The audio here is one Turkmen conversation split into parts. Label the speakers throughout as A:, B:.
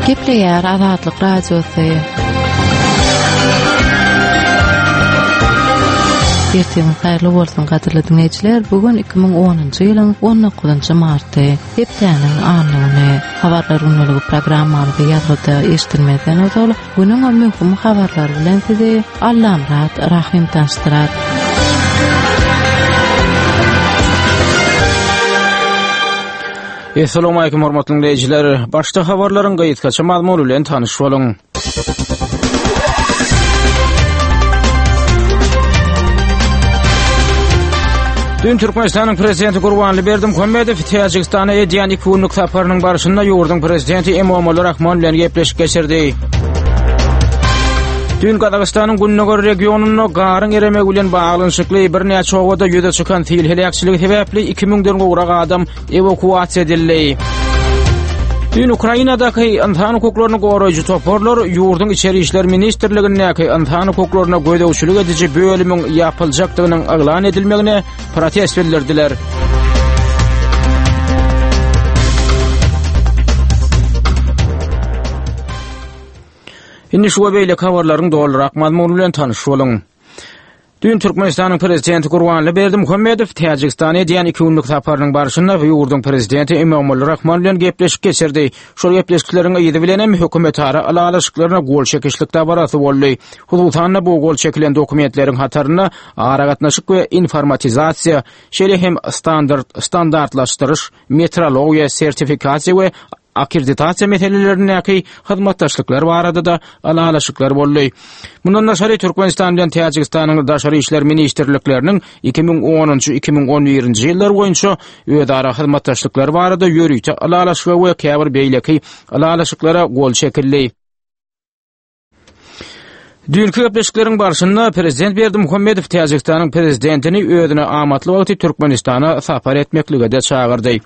A: Gepleýär Azatlyk Radiosy. Ertiriňiz haýyrly bolsun gadyrly diňleýjiler. Bu gün 2010-njy ýylyň 19-njy marty, hepdäniň anna güni. Habarlar gündeligi programmamyzy ýazgyda eşidilmezden ozal Günüň möhüm habarlary bilen sizi Allamyrat Rahym tanyşdyrar.
B: Essalamu hormatly dinleýjiler. Başda habarlaryň gysgaça mazmuny bilen tanyş boluň. Dün Türkmenistanyň Prezidenti Gurbanly Berdimuhamedow Täjigistana edýän iki günlük saparynyň barşynda ýurduň Prezidenti Emomali Rahmon bilen gepleşik geçirdi. Dün Gazagystanyň gündogar regionynda garyň eremegi bilen baglanyşykly birnäçe obada ýüze çykan sil heläkçiligi sebäpli 2000-den gowrak adam ewakuasiýa edildi. Düýn Ukrainadaky ynsan hukuklaryny goraýjy toparlar ýurduň Içeri işler ministrligindäki ynsan hukuklaryna gözegçilik ediji bölümiň ýapyljakdygynyň yglan edilmegine protest bildirdiler. Indi şu we beýleki habarlaryň dolurak mazmuny bilen tanyş boluň. Düýn Türkmenistanyň Prezidenti Gurbanly Berdimuhamedow Täjigistana edýän iki günlük saparynyň barşynda ýurduň Prezidenti Emomali Rahmon bilen gepleşik geçirdi. Şol gepleşikleriň yzy bilen hem hökümetara ylalaşyklaryna gol çekişlik dabarasy boldy. Hususan-da, bu gol çekilen dokumentleriň hatarynda aragatnaşyk we informatizasiýa, şeýle hem standart, standartlaşdyryş, metrologiýa, sertifikasiýa we akkreditasiýa meselelerindäki hyzmatdaşlyklar barada-da ylalaşyklar boldy. Mundan daşary, Türkmenistan bilen Täjigistanyň Daşary işler ministrlikleriniň 2010-njy, 2011-nji ýyllar boýunça özara hyzmatdaşlyklary barada ýörite ylalaşyga we käbir beýleki ylalaşyklara gol çekildi. Düýnki gepleşikleriň barşynda prezident Berdimuhamedow Täjigistanyň prezidentini özüne amatly wagty Türkmenistana sapar etmeklige-de çagyrdy.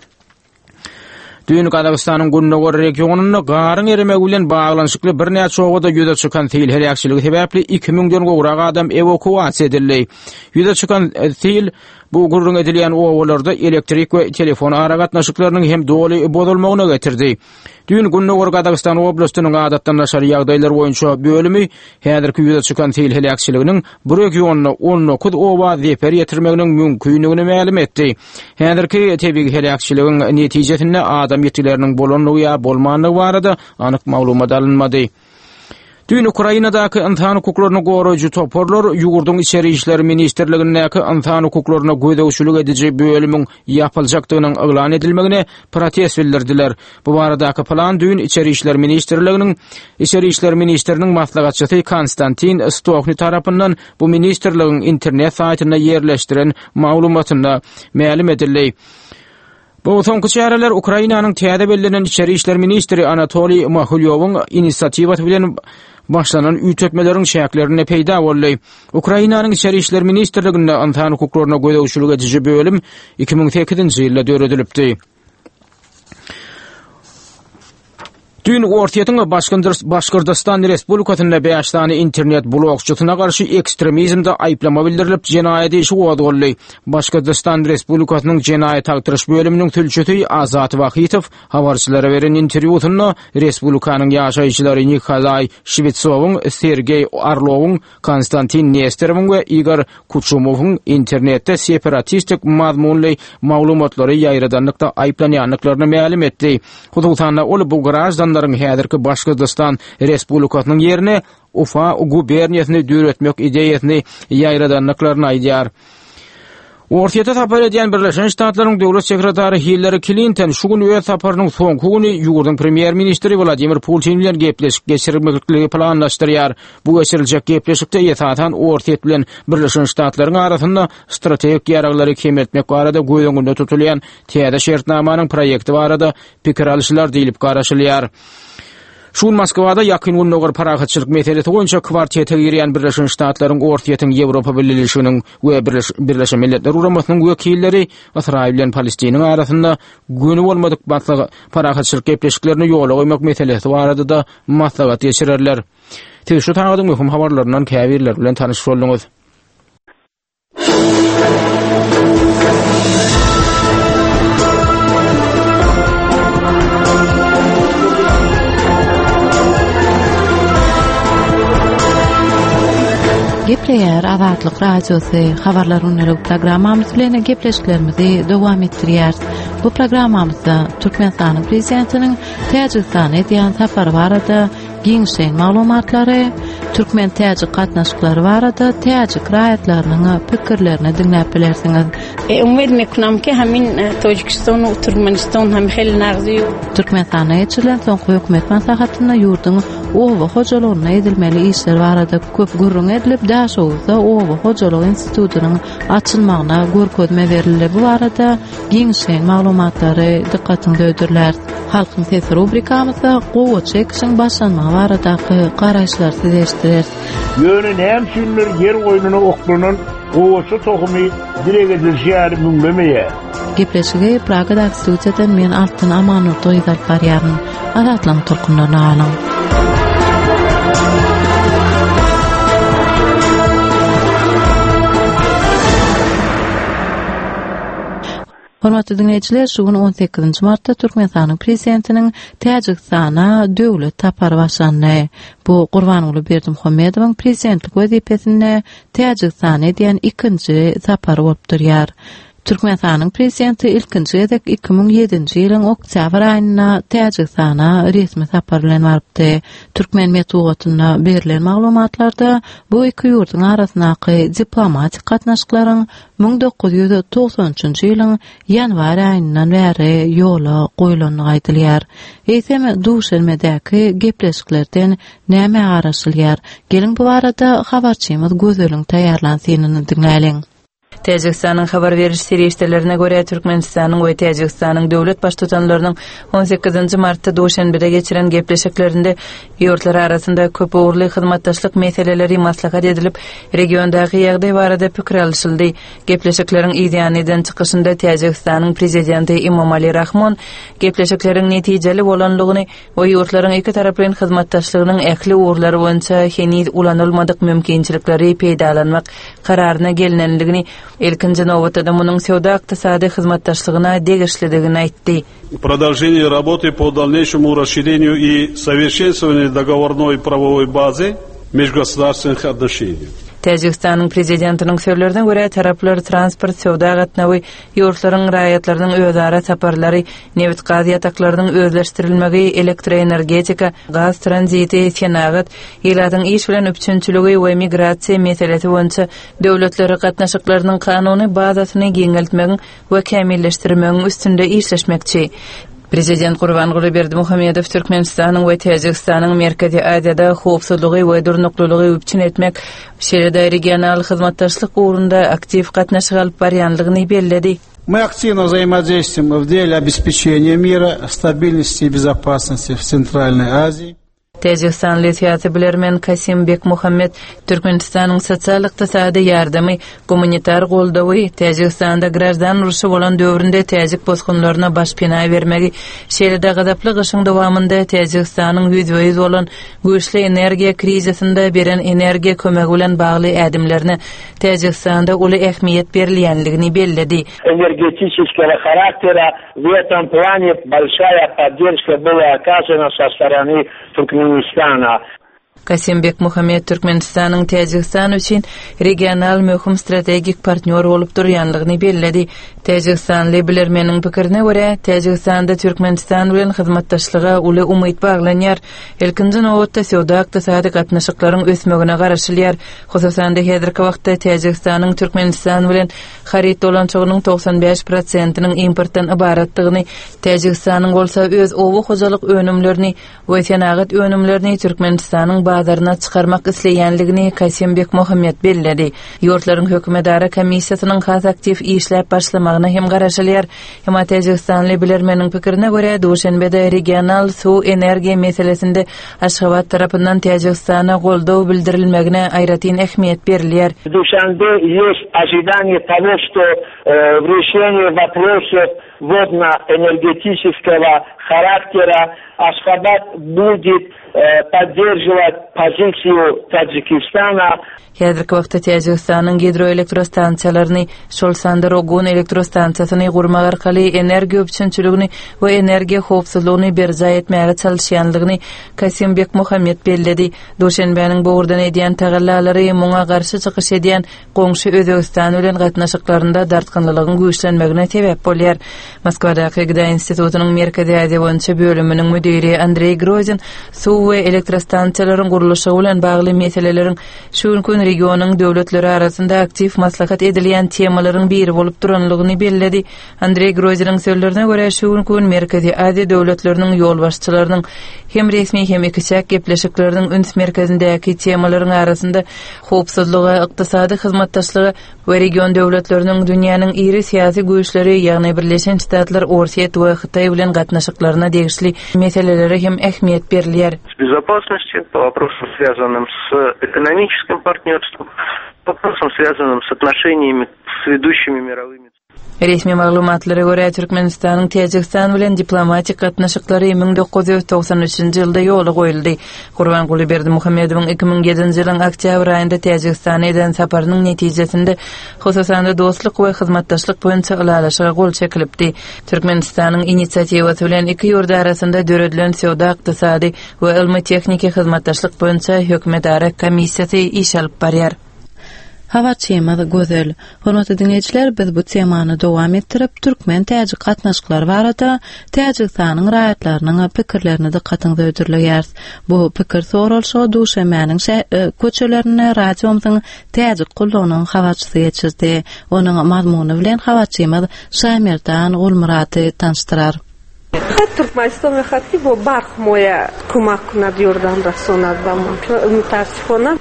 B: Düýn Gazagystanyň gündogar regionynda garyň eremegi bilen baglanyşykly birnäçe obada ýüze çykan sil heläkçiligi sebäpli 2000-den gowrak adam ewakuasiýa edildi. Ýüze çykan e, sil bu gürrüň edilýän obalarda elektrik we telefon aragatnaşyklarynyň hem doly bozulmagyna getirdi. Düýn Gündogar Gazagystan oblastynyň adatdan daşary ýagdaýlar boýunça bölümi häzirki ýüze çykan sil heläkçiliginiň bu regionda 19 oba zeper ýetirmeginiň mümkindigini mälim etdi. Häzirki tebigy heläkçiligiň netijesinde adam ýitgileriniň bolandygy ýa bolmandygy barada anyk maglumat alynmady. Düýn Ukrainadaky ynsan hukuklaryny goraýjy toparlar ýurduň Içeri işler ministrligindäki ynsan hukuklaryna gözegçilik ediji bölümiň ýapyljakdygynyň yglan edilmegine protest bildirdiler. Bu baradaky plan düýn Içeri işler ministrliginiň Içeri işler ministriniň maslahatçysy Konstantin Stohni tarapyndan bu ministrligiň internet saýtynda ýerleşdiren maglumatynda mälim edildi. Bu soňky çäreler Ukrainanyň täze bellenen içeri işler ministri Anatoliý Mahulýowyň inisiatiwasy bilen başlanan üýtgetmeleriň çäklerinde peýda boldy. Ukrainanyň Içeri işler ministrliginde ynsan hukuklaryna gözegçilik ediji bölüm 2008-nji ýylda döredilipdi. Düýn Orsýetiň Başgyrdystan Respublikasynda bäş sany internet blogçysyna garşy ekstremizmde aýyplama bildirilip, jenaýat işi gozgaldy. Başgyrdystan Respublikasynyň Jenaýat agtaryş bölüminiň sülçüsi Azat Wahytow habarçylara beren interwýusynda respublikanyň ýaşaýjylary Nikolaý Şwetsowyň, Sergeý Orlowyň, Konstantin Nesterowyň we Igor Kuçumowyň internetde separatistik mazmunly maglumatlary ýaýradanlykda aýyplanýandyklaryny mälim etdi. Hususan-da, ol bu graždanlaryň häzirki Başgyrdystan Respublikasynyň ýerine Ufa guberniýasyny döretmek ideýasyny ýaýradandyklaryny aýdýar. Orsýete sapar edýän Birleşen Ştatlaryň döwlet sekretary Hillari Klinton şu gün öz saparynyň soňky güni ýurduň premýer-ministri Wladimir Putin bilen gepleşik geçirmekligi planlaşdyrýar. Bu geçiriljek gepleşikde esasan Orsýet bilen Birleşen Ştatlaryň arasynda strategik ýaraglary kemeltmek barada göz öňünde tutulýan täze şertnamanyň proýekti barada pikir alyşylar diýlip garaşylýar. Şu gün Moskwada Ýakyn Gündogar parahatçylyk meselesi boýunça kwartete girýän Birleşen Ştatlaryň, Orsýetiň, Ýewropa Bileleşiginiň we Birleşen Milletler Guramasynyň wekilleri Ysraýyl bilen Palestiniň arasynda göni bolmadyk parahatçylyk gepleşiklerini ýola goýmak meselesi barada-da maslahat geçirerler. Siz şu sagadyň möhüm habarlaryndan käbirleri bilen tanyş bolduňyz.
A: Azatlyk Radiosy Habarlar gündelik programmamyz bilen gepleşiklerimizi dowam etdirýäris. Bu programmamyzda Türkmenistanyň Prezidentiniň Täjigistana edýän sapary barada giňişleýin maglumatlary, türkmen-täjik gatnaşyklary barada täjik raýatlarynyň pikirlerini diňläp bilersiňiz.
C: Umyt mekunam ki hamin Tojikiston we Türkmeniston hem hel nagzy.
A: Türkmenistanda geçirilen soňky hökümet maslahatynda ýurduň oba hojalygynda edilmeli işler barada köp gürrüň edilip, Daşoguzda oba hojalyk institutynyň açylmagyna görkezme berildi. Bu barada giňişleýin maglumatlary dykgatyňyza hödürläris. Halkyň sesi rubrikamyzda gowaça ekişiň başlanmagy baradaky garaýyşlary size eşitdireris.
D: Ýöne näme üçindir ýer goýnuna oklanan gowaça tohumy dileg edilişi ýaly müňlemeýär.
A: Gepleşigi Pragadaky studiýadan men Altyn Amanurdy gyzy alyp barýaryn. Azatlygyň tolkunlaryna galyň. Hormatly diňleýjiler, şu gün 18 martda Türkmenistanyň Prezidentiniň Täjigistana döwlet sapary başlandy. Bu Gurbanguly Berdimuhamedowyň prezidentlik wezipesinde Täjigistana edýän ikinji sapary bolup durýar. Türkmenistanyň Prezidenti ilkinji gezek 2007-nji ýylyň oktýabr aýynda Täjigistana resmi sapar bilen barypdy. Türkmen metbugatynda berlen maglumatlarda bu iki ýurduň arasyndaky diplomatik gatnaşyklaryň 1993-nji ýylyň ýanwar aýyndan bäri ýola goýlandygy aýdylýar. Eýsem, Duşenbedäki gepleşiklerden nämä garaşylýar? Geliň bu barada habarçymyz Gözeliň taýýarlan synyny diňläliň.
E: Täjigistanyň habar beriş serişdelerine görä, Türkmenistanyň we Täjigistanyň döwlet Baştutanlarynyň on sekizinji martda Duşenbede geçiren gepleşiklerinde ýurtlar arasynda köp ugurly hyzmatdaşlyk meseleleri maslahat edilip, regiondaky ýagdaý barada pikir alyşyldy. Gepleşikleriň yzýany eden çykyşynda Täjigistanyň Prezidenti Emomali Rahmon gepleşikleriň netijeli bolandygyny we ýurtlaryň ikitaraplaýyn hyzmatdaşlygynyň ähli ugurlary boýunça heniz ulanylmadyk mümkinçilikleri peýdalanmak kararyna gelnendigini, ilkinji nobatda-da munuň söwda-ykdysady hyzmatdaşlygyna degişlidigini aýtdy.
F: Продолжение работы по дальнейшему расширению и совершенствованию договорной правовой базы межгосударственных отношений.
E: Täjigistanyň Prezidentiniň sözlerine görä, taraplar transport, söwda gatnawy, ýurtlaryň raýatlarynyň özara saparlary, nebit-gaz ýataklarynyň özleşdirilmegi, elektroenergetika, gaz tranziti, senagat, ilatyň iş bilen üpjünçiligi we migrasiýa meselesi boýunça döwletler gatnaşyklarynyň kanuny bazasyny giňeltmegiň we kämilleşdirmegiň üstünde işleşmekçi. Prezident Gurbanguly Berdimuhamedow Türkmenistanyň we Täjigistanyň Merkezi Aziýada howpsuzlygy we durnuklylygy üpjün etmek, şeýle-de regional hyzmatdaşlyk ugrunda aktiw gatnaşyk alyp barýandygyny belledi.
G: Мы активно взаимодействуем в деле обеспечения мира, стабильности и безопасности в Центральной Азии.
E: Täjigistanly syýasy bilermen Kasim Bekmuhammet Türkmenistanyň sosial-ykdysady ýardamy, gumanitar goldawy, Täjigistanda graždan urşy bolan döwründe täjik bosgunlaryna başpena bermegi, şeýle-de gazaply gyşyň dowamynda Täjigistanyň ýüzbe-ýüz bolan güýçli energiýa krizisinde beren energiýa kömegi bilen bagly ädimlerine Täjigistanda uly ähmiýet berilýändigini belledi.
H: Energetiçeskogo haraktera w etom plane bolşaýa podderşka byla okazana so storony Turkmenistana.
E: Kasym Bekmuhamet Türkmenistanyň Täjigistan üçin regional möhüm strategik partnýor bolup durýandygyny belledi. Täjigistanly bilermeniň pikirine görä, Täjigistanda Türkmenistan bilen hyzmatdaşlyga uly umyt baglanýar. Ilkinji nobatda söwda-ykdysady gatnaşyklaryň ösmegine garaşylýar. Hususan-da, häzirki wagtda Täjigistanyň Türkmenistan bilen haryt dolanyşygynyň 95 prosentiniň importdan ybaratdygyny, Täjigistanyň bolsa öz oba hojalyk önümlerini we senagat önümlerini Türkmenistanyň bazaryna çykarmak isleýändigini Kasym Bekmuhammet belledi. Ýurtlaryň hökümetara komissiýasynyň has aktiw işläp başlamagyna hem garaşylýar. Emma täjigistanly bilermeniň pikirine görä, Duşenbede regional suw-energiýa meselesinde Aşgabat tarapyndan Täjigistana goldaw bildirilmegine aýratyn ähmiýet berilýär.
H: W Duşanbe ýest ožidaniýe togo, şto w reşeniýe woprosow wodno-energetiçeskogo haraktera Aşgabat budet podderžiwat. Позицию Таджикистана.
E: Häzirki wagtda Täjigistanyň gidroelektrostansiýalaryny, şol sanda Rogun elektrostansiýasyny gurmak arkaly energiýa üpjünçiligini we energiýa howpsuzlygyny berjaý etmäge çalyşýandygyny Kasym Bekmuhammet belledi. Duşenbäniň bu ugurdan edýän tagallalary muňa garşy çykyş edýän goňşy Özbegistan bilen gatnaşyklarynda dartgynlylygyň güýçlenmegine sebäp bolýar. Moskwadaky GDA institutynyň Merkezi Aziýa boýunça bölüminiň müdiri Andreý Grozin suw we elektrostansiýalaryň gurluşygy bilen bagly meseleleriň şu günki gün regionyň döwletleri arasynda aktiw maslahat edilýän temalaryň biri bolup duranlygyny belledi. Andreý Groziniň sözlerine görä, şu günki gün Merkezi Aziýa döwletleriniň ýolbaşçylarynyň hem resmi, hem ikiçäk gepleşikleriniň üns merkezindäki temalaryň arasynda howpsuzlyga, ykdysady hyzmatdaşlyga we region döwletleriniň dünýäniň iri syýasy güýçleri, ýagny Birleşen Ştatlar, Orsýet we Hytaý bilen gatnaşyklaryna degişli meselelere hem ähmiýet berilýär.
I: Безопасности, по вопросам, связанным с экономическим партнерством, по вопросам, связанным с отношениями с ведущими мировыми
E: Resmi maglumatlara görä, Türkmenistanyň Täjigistan bilen diplomatik gatnaşyklary 1993-nji ýylda ýola goýuldy. Gurbanguly Berdimuhamedowyň 2007-nji ýylyň oktýabr aýynda Täjigistana eden saparynyň netijesinde, hususan-da, dostluk we hyzmatdaşlyk boýunça ylalaşyga gol çekilipdi. Türkmenistanyň inisiatiwasy bilen iki ýurt arasynda döredilen söwda-ykdysady we ylmy-tehniki hyzmatdaşlyk boýunça hökümetara komissiýasy iş alyp barýar.
A: Habarçymyz Gözel. Hormatly diňleýjiler, biz bu temany dowam etdirip, türkmen-täjik gatnaşyklary barada Täjigistanyň raýatlarynyň pikirlerini dykgatyňyza hödürleýäris. Bu pikir soralyşygy Duşenbäniň köçelerinde radiomyzyň Täjik gullugynyň habarçysy geçirdi. Onuň mazmuny bilen habarçymyz Şaýmerdan Gulmyrady tanyşdyrar.
J: Хат Туркманистон мехоҳад ки бо барқ моя кӯмак кунад, ёрдам расонад ба мо. Мутаассифона.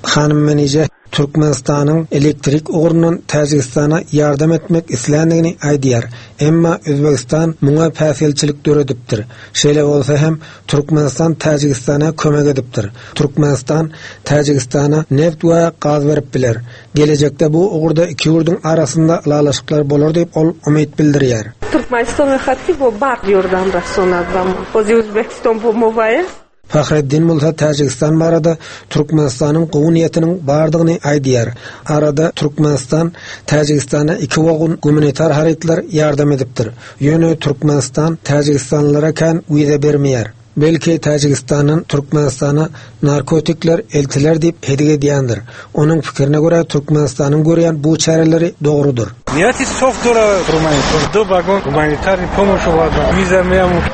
K: Hanym Menije Türkmenistanyň elektrik ugrundan Täjigistana ýardam etmek isländigini aýdýar. Emma Özbegistan muňa päsgelçilik döredipdir. Şeýle bolsa hem Türkmenistan Täjigistana kömek edipdir. Türkmenistan Täjigistana neft we gaz berip biler. Gelejekde bu ugurda iki ýurduň arasynda ylalaşyklar bolar diýip ol umyt bildirýär.
J: Türkmeniston mehad ki bo barq yordam rasonad ba mo. Ozi Uzbekiston bo mo vaye.
K: Fahreddin bolsa Täjigistan barada Türkmenistanyň gowy niýetiniň bardygyny aýdýar. Arada Türkmenistan Täjigistana iki wagon gumanitar harytlar ýardam edipdir. Ýöne Türkmenistan täjigistanlylara kän wiza bermeýär. Belki Täjigistandan Türkmenistana narkotikler eltiler diýip hedik edýändir. Onuň pikirine görä Türkmenistanyň görýän bu çäreleri dogrudyr.
L: Niýeti sof dora Türkmenistan vagon gumanitarny pomoş wiza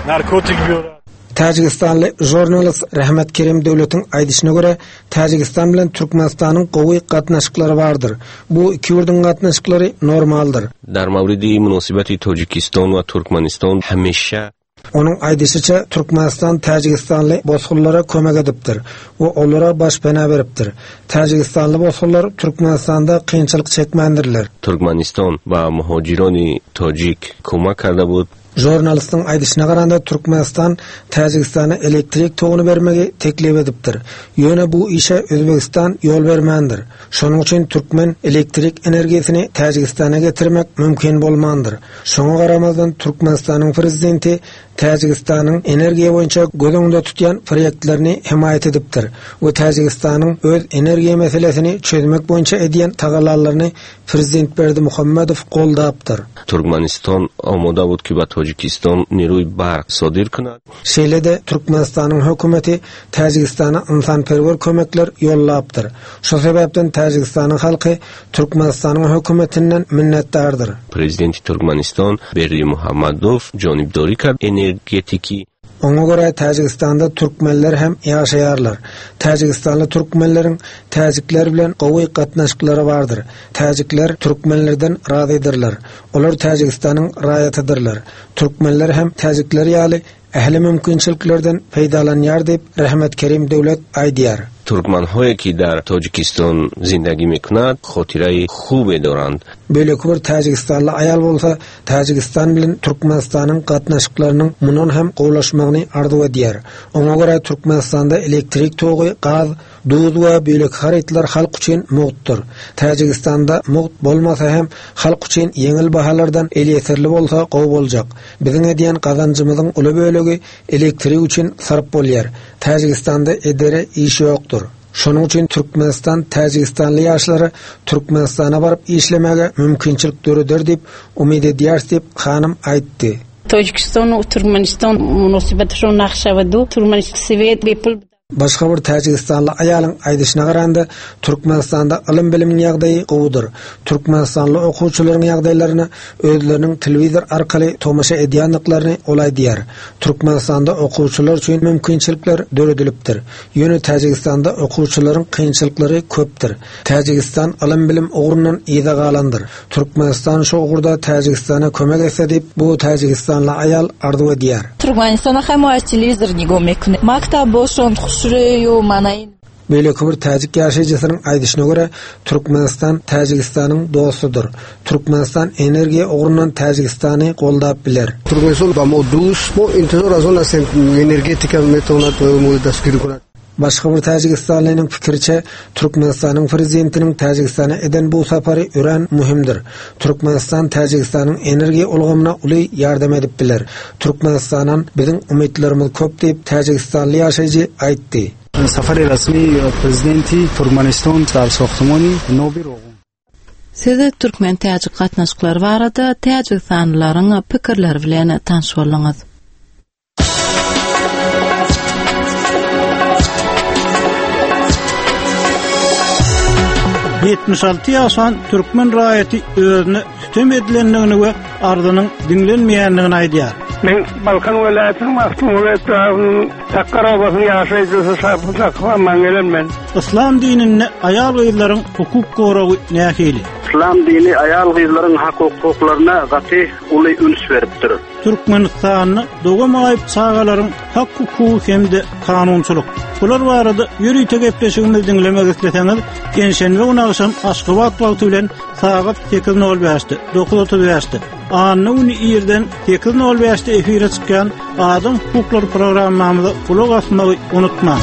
L: narkotik biora.
K: Täjigistanly žurnalist Rehmet Kerim Döwletiň aýdyşyna görä, Täjigistan bilen Türkmenistanyň gowy gatnaşyklary bardyr. Bu iki ýurduň gatnaşyklary normaldyr.
M: Дар мавриди муносибати Тоҷикистон ва Туркманистон ҳамеша
K: Onuň aýdyşyça, Türkmenistan täjigistanly bosgunlara kömek edipdir we olara başpena beripdir. Täjigistanly bosgunlar Türkmenistanda kynçylyk çekmändirler.
M: Туркманистон ба муҳоҷирони тоҷик кӯмак карда буд.
K: Žurnalistiň aýdyşyna garanda, Türkmenistan Täjigistana elektrik toguny bermegi teklip edipdir. Ýöne bu işe Özbegistan ýol bermändir. Şonuň üçin türkmen elektrik energiýasyny Täjigistana getirmek mümkin bolmandyr. Şoňa garamazdan, Türkmenistanyň prezidenti Täjigistanyň energiýa boýunça göz öňünde tutýan proýektlerini hemaýat edipdir we Täjigistanyň öz energiýa meselesini çözmek boýunça edýän tagallalaryny Prezident Berdimuhamedow goldapdyr.
M: Туркманистон омода буд ки ба Тоҷикистон нерӯи барқ содир кунад.
K: Şeýle-de Türkmenistanyň hökümeti Täjigistana ynsanperwer kömekler ýollapdyr. Şu sebäpden Täjigistanyň halky Türkmenistanyň hökümetinden minnetdardyr.
M: Президенти Туркманистон Бердимуҳаммадов ҷонибдорӣ кард энергетикӣ
K: Oňa görä Täjigistanda türkmenler hem ýaşaýarlar. Täjigistanly türkmenleriň täjikler bilen gowy gatnaşyklary bardyr. Täjikler türkmenlerden razydyrlar. Olar Täjigistanyň raýatydyrlar. Türkmenler hem täjikler ýaly ähli mümkinçiliklerden peýdalanýar diýip, Rehmet Kerim Döwlet aýdýar.
M: Туркманҳое ки дар Тоҷикистон зиндагӣ мекунад хотираи хубе доранд.
K: Beýleki bir täjigistanly aýal bolsa Täjigistan bilen Türkmenistanyň gatnaşyklarynyň mundan hem gowulaşmagyny arzuw edýär. Oňa görä Türkmenistanda elektrik togy, gaz, duz we beýleki harytlar halk üçin mugtdyr. Täjigistanda mugt bolmasa hem halk üçin ýeňil bahalardan elýeterli bolsa gowy boljak. Biziň edýän gazanjymyzyň uly bölegi. bölegi elektrik üçin sarp bolýar. Täjigistanda edere iş ýokdur. Şonuň üçin Türkmenistan täjigistanly ýaşlara Türkmenistana baryp işlemäge mümkinçilik döreder diýip umyt edýäris diýip, hanym aýtdy.
C: Tojikiston we Türkmeniston munosybaty nagşa we Türkmenistan swet bepul.
K: Başga bir täjigistanly aýalyň aýdyşyna garanda, Türkmenistanda ylym-bilimiň ýagdaýy gowudyr. Türkmenistanly okuwçylaryň ýagdaýlaryna özleriniň telewizor arkaly tomaşa edýändiklaryny ol aýdýar. Türkmenistanda okuwçylar üçin mümkinçilikler döredilipdir. Ýöne Täjigistanda okuwçylaryň kynçylyklary köpdür. Täjigistan ylym-bilim ugrundan yza galandyr. Türkmenistan şu ugurda Täjigistana kömek etse diýip, bu täjigistanly aýal arzuw edýär.
E: Türkmenistana hem az telewizor nigom mekune. Maktab boşon huşreýu manaýyn.
K: Beýleki bir täjik ýaşaýjysynyň aýdyşyna görä, Türkmenistan Täjigistanyň dostudyr. Türkmenistan energiýa ugrundan Täjigistany goldap biler.
N: Türkmenistan ba mo dust, mo intizor az on astem energetika metownat mo dastgiri konat.
K: Başga bir täjigistanlynyň pikiriçe, Türkmenistanyň prezidentiniň Täjigistana eden bu sapary örän möhümdir. Türkmenistan Täjigistanyň energiýa ulgamyna uly ýardam edip biler. Türkmenistandan biziň umytlarymyz köp diýip, täjigistanly ýaşaýjy aýtdy.
G: Safari resmi prezidenti Türkmenistan dar sohtumany Nobi Rogun.
A: Siz türkmen-täjik gatnaşyklary barada täjigistanlylaryň pikirleri bilen tanyş bolduňyz.
G: 76 ýaşan türkmen raýaty özüne sütem edilendigini we arzynyň diňlenmeýändigini aýdýar.
L: Men Balkan welaýatynyň Magtymguly etrabynyň Sakgar obasynyň ýaşaýjysy Şapy Sakyp man gelen men.
G: Yslam dininde aýal-gyzlaryň hukuk goragy nähili?
O: Yslam dini aýal-gyzlaryň hak-hukuklaryna gaty uly üns beripdir.
G: Türkmenistanda doga maýyp çagalaryň hak-hukugy hem-de kanunçylyk. Bular barada ýörite gepleşigimizi diňlemek isleseňiz, penşenbe güni agşam Aşgabat wagty bilen sagat 8:05-de, 9:35-de, anna güni irden 8:05-de efire çykýan Adam hukuklary programmamyza gulak asmagy unutmaň.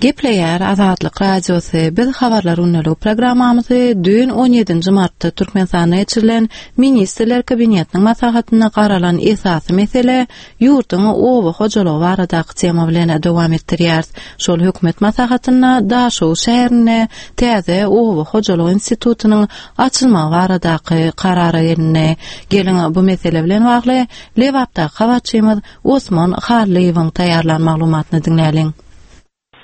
A: Gepleýär Azatlyk Radiosy, Biz Habarlar gündeligi programmamyzy düýn on ýedinji martda Türkmenistanda geçirilen Ministrler Kabinetiniň maslahatynda garalan esasy mesele, ýurduň oba hojalygy baradaky tema bilen dowam etdirýäris. Şol hökümet maslahatynda Daşoguz şäherinde täze oba hojalygy institutynyň açylmagy baradaky karara gelindi. Geliň, bu mesele bilen bagly Lebapdaky habarçymyz Osman Hallyýewiň taýýarlan maglumatyny diňläliň.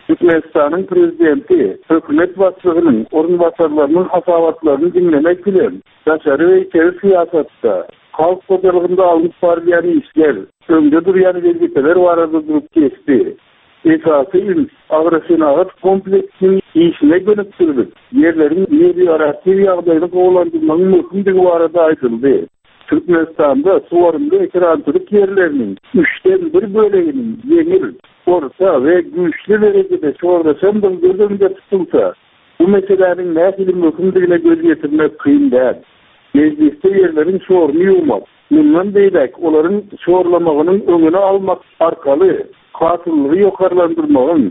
P: Türkmenistanyň Prezidenti hökümet başlygynyň orunbasarlarynyň hasabatlaryny diňlemek bilen, daşary we içeri syýasatda, halk hojalygynda alnyp barylýan işler, öňde durýan wezipeler barada durup geçdi. Esasy üns agrosenagat kompleksiniň işine gönükdirilip, ýerleriň melioratiw ýagdaýyny gowulandyrmagyň möhümdigi barada aýdyldy. Türkmenistanda suwarymly ekerançylyk ýerleriniň üçden bir böleginiň ýeňil, orta we güýçli derejede şorlaşandygy göz öňünde tutulsa, bu meseläniň nähili möhümdigine göz ýetirmek kyn däl. Mejlisde ýerleriň şoruny ýuwmak, mundan beýläk olaryň şorlamagynyň öňüni almak arkaly hasyllygy ýokarlandyrmagyň,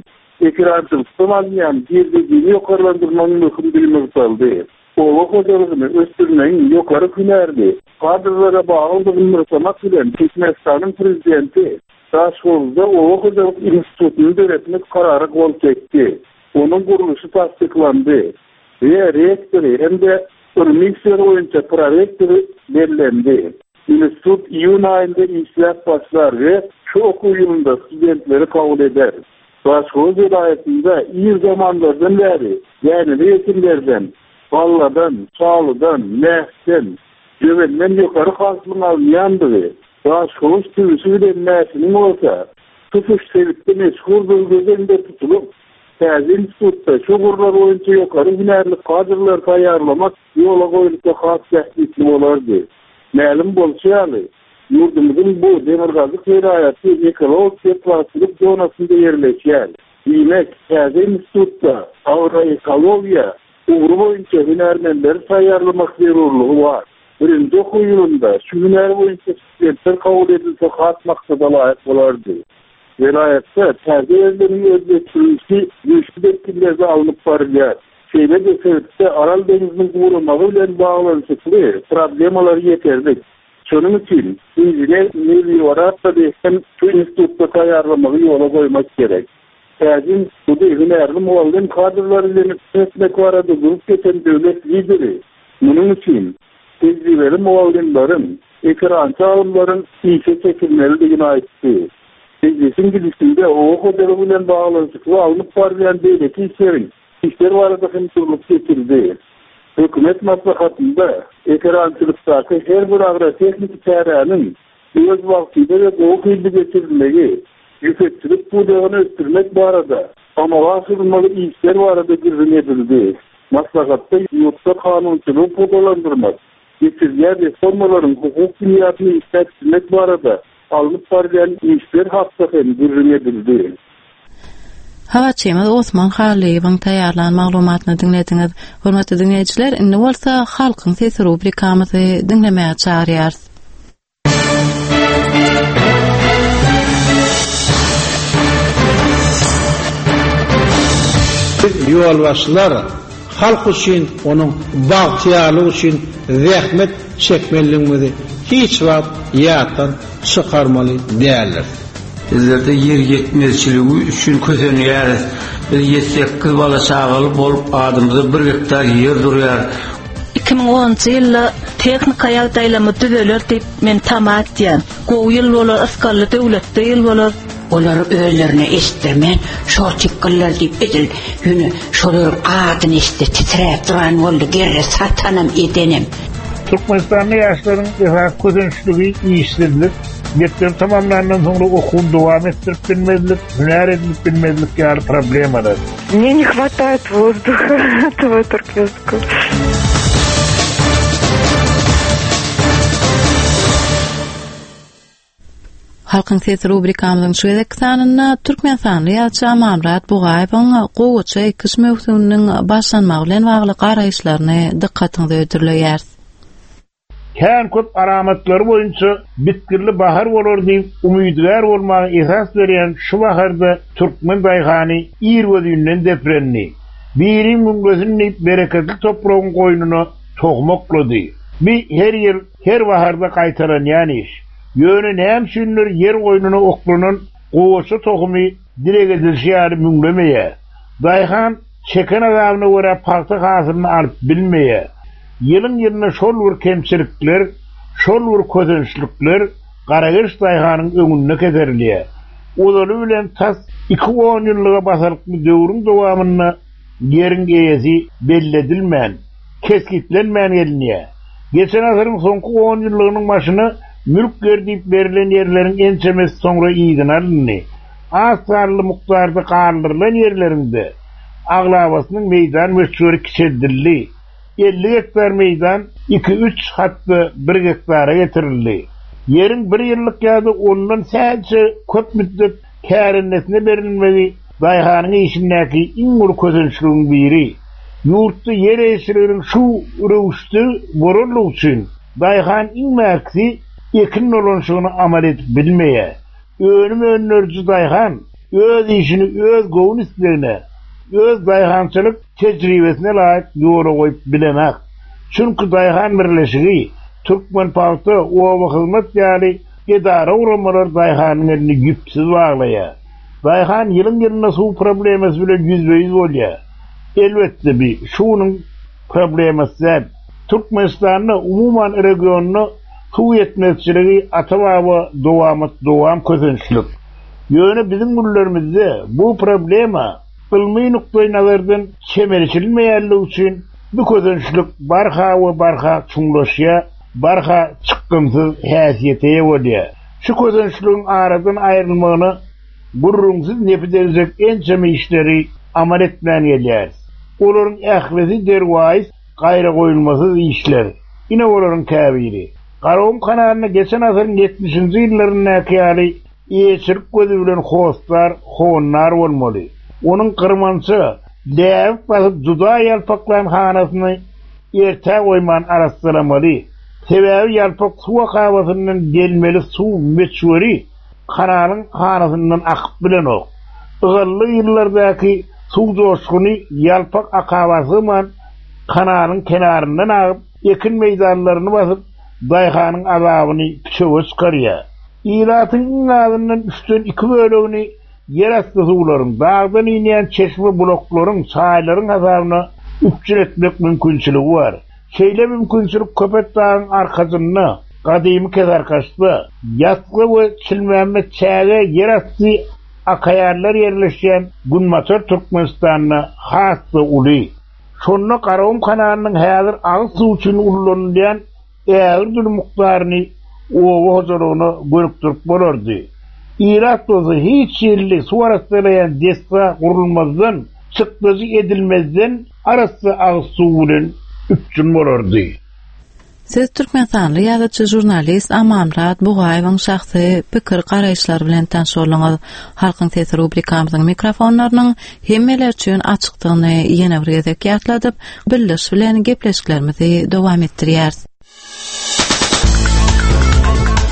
P: ekerançylykdan alynýan girdejini ýokarlandyrmagyň möhümdigi nygtaldy. Oba hojalygyny ösdürmegiň ýokary hünärli kadrlara baglydygyny nygtamak bilen, Türkmenistanyň Prezidenti Daşhowuzda oba hojalyk institutyny döretmek karara gol çekdi. Onuň gurluşy tassyklandy we rektory hem-de ylmy işler boýunça prorektory bellendi. Institut iýun aýynda işläp başlar we şu okuw ýylynda studentleri kabul eder. Daşhowuz welaýatynda ir zamanlardan bäri däneli ekinlerden, galladan, şalydan, mäsden, jöwenden ýokary hasylyň alynýandygy, Daşhowuz tüwüsi bilen mäsiniň bolsa tutuş sebitde meşhurdygy göz öňünde tutulyp, täze institutda şu ugurlar boýunça ýokary hünärli kadrlary taýýarlamak ýola goýulsa has bähbitli bolardy. Mälim bolşy ýaly, ýurdumyzyň bu demirgazyk welaýaty ekologik betbagtçylyk zonasynda ýerleşýär. Diýmek, täze institutda agroekologiýa ugry boýunça hünärmenleri taýýarlamak zerurlygy bar. Birinji okuw ýylynda şu hünär boýunça studentler kabul edilse has maksada laýyk bolardy. Welaýatda täze ýerleriň özleşdirilişi güýçli depginlerde alnyp barylýar. Şeýle-de sebitde Aral deňziniň guramagy bilen baglanyşykly problemalar ýeterlik. Şonuň üçin inžener-melioratory hem şu institutda taýýarlamagy ýola goýmak gerek. Täze instituty hünärli mugallym kadrlary bilen üpjün etmek barada durup geçen döwlet Lideri munuň üçin tejribeli mugallymlaryň, ekerançy alymlaryň işe çekilmelidigini aýtdy. Mejlisiň gidişinde oba hojalygy bilen baglanyşykly alnyp barylýan beýleki işleriň işler barada hem durlup geçildi. Hökümet maslahatynda ekerançylykdaky her bir agrotehniki çäräniň öz wagtynda we gowy hilli geçirilmegi, ýüpekçilik pudagyny ösdürmek barada amala aşyrylmaly işler barada gürrüň edildi. Maslahatda ýurtda kanunçylygy pugtalandyrmak, geçirilýän reformalaryň hukuk binýadyny işläp düzmek barada alnyp barylýan işler hakda hem gürrüň edildi.
A: Habarçymyz Osman Hallyýewiň taýýarlan maglumatyny diňlediňiz. Hormatly diňleýjiler, indi bolsa Halkyň sesi rubrikamyzy diňlemäge çagyrýarys.
Q: Biz ýolbaşçylar halk üçin, onuň bagtyýarlygy üçin zähmet çekmelidigimizi hiç wagt ýatdan çykarmaly däldiris.
R: Bizlerde ýer ýetmezçiligi üçin kösenýäris. Biz ýedi-sekiz bala-çagaly bolup, adymyza bir gektar ýer durýar.
S: 2010-njy ýylda tehnika ýagdaýlarymyz düzeler diýip men tama etýän. Gowy ýyl bolar, ysgally döwletli ýyl bolar.
T: Olary özlerine eşitdirmän, şol tikgiller diýip edil ýöne şolaryň adyny eşitse titräp duran boldy, gerre satanam edenem.
D: Türkmenistanda ýaşlaryň esasy kösençligi işsizlik, mekdebi tamamlandan soňra okuwyny dowam etdirip bilmezlik, hünär edinip bilmezlik ýaly problemalar.
J: Мне не хватает воздуха этого туркменского.
A: Halkyň sesi rubrikamyzyň şu gezekki sanynda türkmenistanly ýazyjy Amanmyrat Bugaýewiň gowaça ekiş möwsüminiň başlanmagy bilen bagly garaýyşlaryny dykgatyňyza hödürleýäris.
D: Kän köp alamatlary boýunça bitgirli bahar bolar diýip umydygär bolmaga esas berýän şu baharda türkmen daýhany irgözinden deprendi. Biri müňlesin diýip bereketli topragyň goýnuna tohum oklady. Bi her ýyl Her baharda gaýtalanýan iş. Ýöne näme üçindir ýer goýnuna oklanan gowaça tohumy dileg edilişi ýaly müňlemeýär. Daýhan çeken azabyna görä pagta hasylyny alyp bilmeýär. Ýylyň-ýylyna şol bir kemçilikler, şol bir kösençlikler garageç daýhanyň öňünde keserilýär. Ozaly bilen tas iki onýyllyga basalykly döwrüň dowamynda ýeriň eýesi belli edilmän, kesgitlenmän gelinýär. Geçen asyryň soňky onýyllygynyň başyna mülk ýer diýip berlen ýerleriň ençemesi soňra yzyna alyndy. Az sanly mukdarda galdyrylan ýerleriň-de aglabasynyň meýdan möçberi kiçeldildi. 50 gektar meýdan iki-üç, hat-da bir gektara getirildi. Ýeriň bir ýyllyk ýa-da ondan sähelçe köp müddet kärendesine berilmegi daýhanyň işindäki iň uly kösençligiň biri. Ýurtda ýer eýeçiliginiň şu röwüşde bolanlygy üçin daýhan iň bärkisi ekin dolanyşygyny amal edip bilmeýär. Önüm öndüriji daýhan öz işini öz göwün islegine, öz daýhançylyk tejribesine laýyk ýola goýup bilenak. Çünki daýhan birleşigi, Türkmenpagta, Obahyzmat ýaly edara-guramalar daýhanyň elini ýüpsüz baglaýar. Daýhan ýylyň-ýylyna suw problemasy bilen ýüzbe-ýüz bolýar. Elbetde bi şu günüň problemasy däl. Türkmenistanda, umuman regionda suw ýetmezçiligi ata-baba dowamat dowam kösençlik. Ýöne biziň günlerimizde bu problema ylmy nukdaý nazardan çemeleşilmeýänligi üçin bu kösençlik barha we barha çuňlaşýar, barha çykgynsyz häsiýete eýe bolýar. Şu kösençligiň aradan aýrylmagyna gürrüňsiz nepi degjek ençeme işleri amal etmän gelýäris. Olaryň ählisi derwaýys, gaýragoýulmasyz işler. Ine olaryň käbiri. Garagum kanalynda geçen asyryň ýetmişinji ýyllaryndaky ýaly eýeçilik gözi bilen hossar, howandar bolmaly. Onuň gyrmança, läbik basyp juda ýalpaklan hanasyny ertä goýman arassalamaly. Sebäbi ýalpak suw akabasyndan gelmeli suw möçberi kanalyň hanasyndan akyp bilenok. Ygally ýyllardaky. Suw joşguny ýalpak akaba sygman, kanalyň kenaryndan agyp, ekin meýdanlaryny basyp, daýhanyň azabyny püçege çykarýar. Ilatyň iň azyndan üçden iki bölegini ýerasty suwlaryň, dagdan inýän çeşme-bulaklaryň, çaýlaryň hasabyna üpjün etmek mümkinçiligi bar. Şeýle mümkinçilik Köpetdagyň arkasynda, gadymy Kesarkaçda, Ýatgy we Çilmämmet çäge ýerasty akaýarlar ýerleşýän Günbatar Türkmenistanda has-da uly. Şonda Garagum kanalynyň häzir agyz suwy üçin ullanylýan ägirt uly mukdaryny oba hojalygyna gönükdirip bolardy. Ilat bolsa hiç hili suw arassalaýan desga gurulmazdan, çykdajy edilmezden arassa agyz suwy bilen üpjün bolardy.
A: Siz türkmenistanly ýazyjy, žurnalist Amanmyrat Bugaýewiň şahsy pikir-garaýyşlary bilen tanyş bolduňyz. Halkyň sesi rubrikamyzyň mikrofonlarynyň hemmeler üçin açykdygyny ýene bir gezek ýatladyp, Bildiriş bilen gepleşiklerimizi dowam etdirýäris.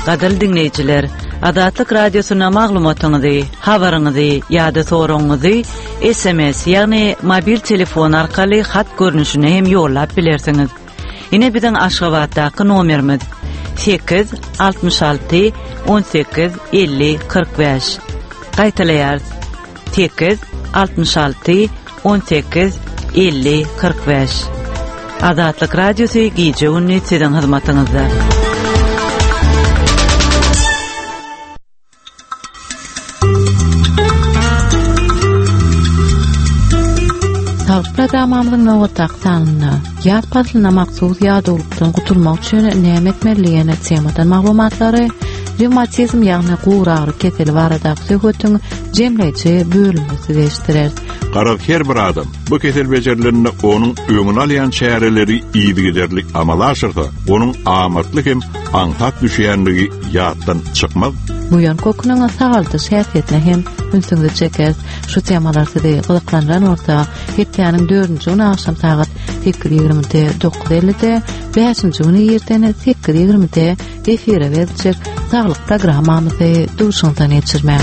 E: Gadyrly diňleýjiler, Azatlyk Radiosyna maglumatyňyzy, habaryňyzy ýa-da soragyňyzy SMS, ýagny mobil telefon arkaly hat görnüşinde hem ýollap bilersiňiz. Ine biziň Aşgabatdaky nomerimiz 8 66 18 50 45. Gaýtalaýarys. 8 66 18 50 45. Azatlyk Radiosy gije-gündiz siziň hyzmatyňyzda.
A: Saglyk programmamyzyň nobatdaky sanynda ýaz paslyna mahsus ýadawlykdan gutulmak üçin näme etmeli diýen temadan maglumatlary, rewmatizm ýagny guragyry keseli baradaky söhbetiň jemleýji bölümini size eşitdireris.
U: Garaz her bir adam bu kesel bejerilende onuň öňüni alýan çäreleri yzygiderli amala aşyrsa, onuň amatly hem aňsat düşýänligi ýatdan çykmaz.
A: Buýan köküniň sagaldyş häsiýetine hem ünsüňizi çekeris. Şu temalar sizi gyzyklandyran bolsa, hepdäniň dördünji güni agşam sagat 8:20-de, 9:50-de, bäşinji güni irden 8:20-de efire beriljek Saglyk programmamyzy duşuňyzdan geçirmäň.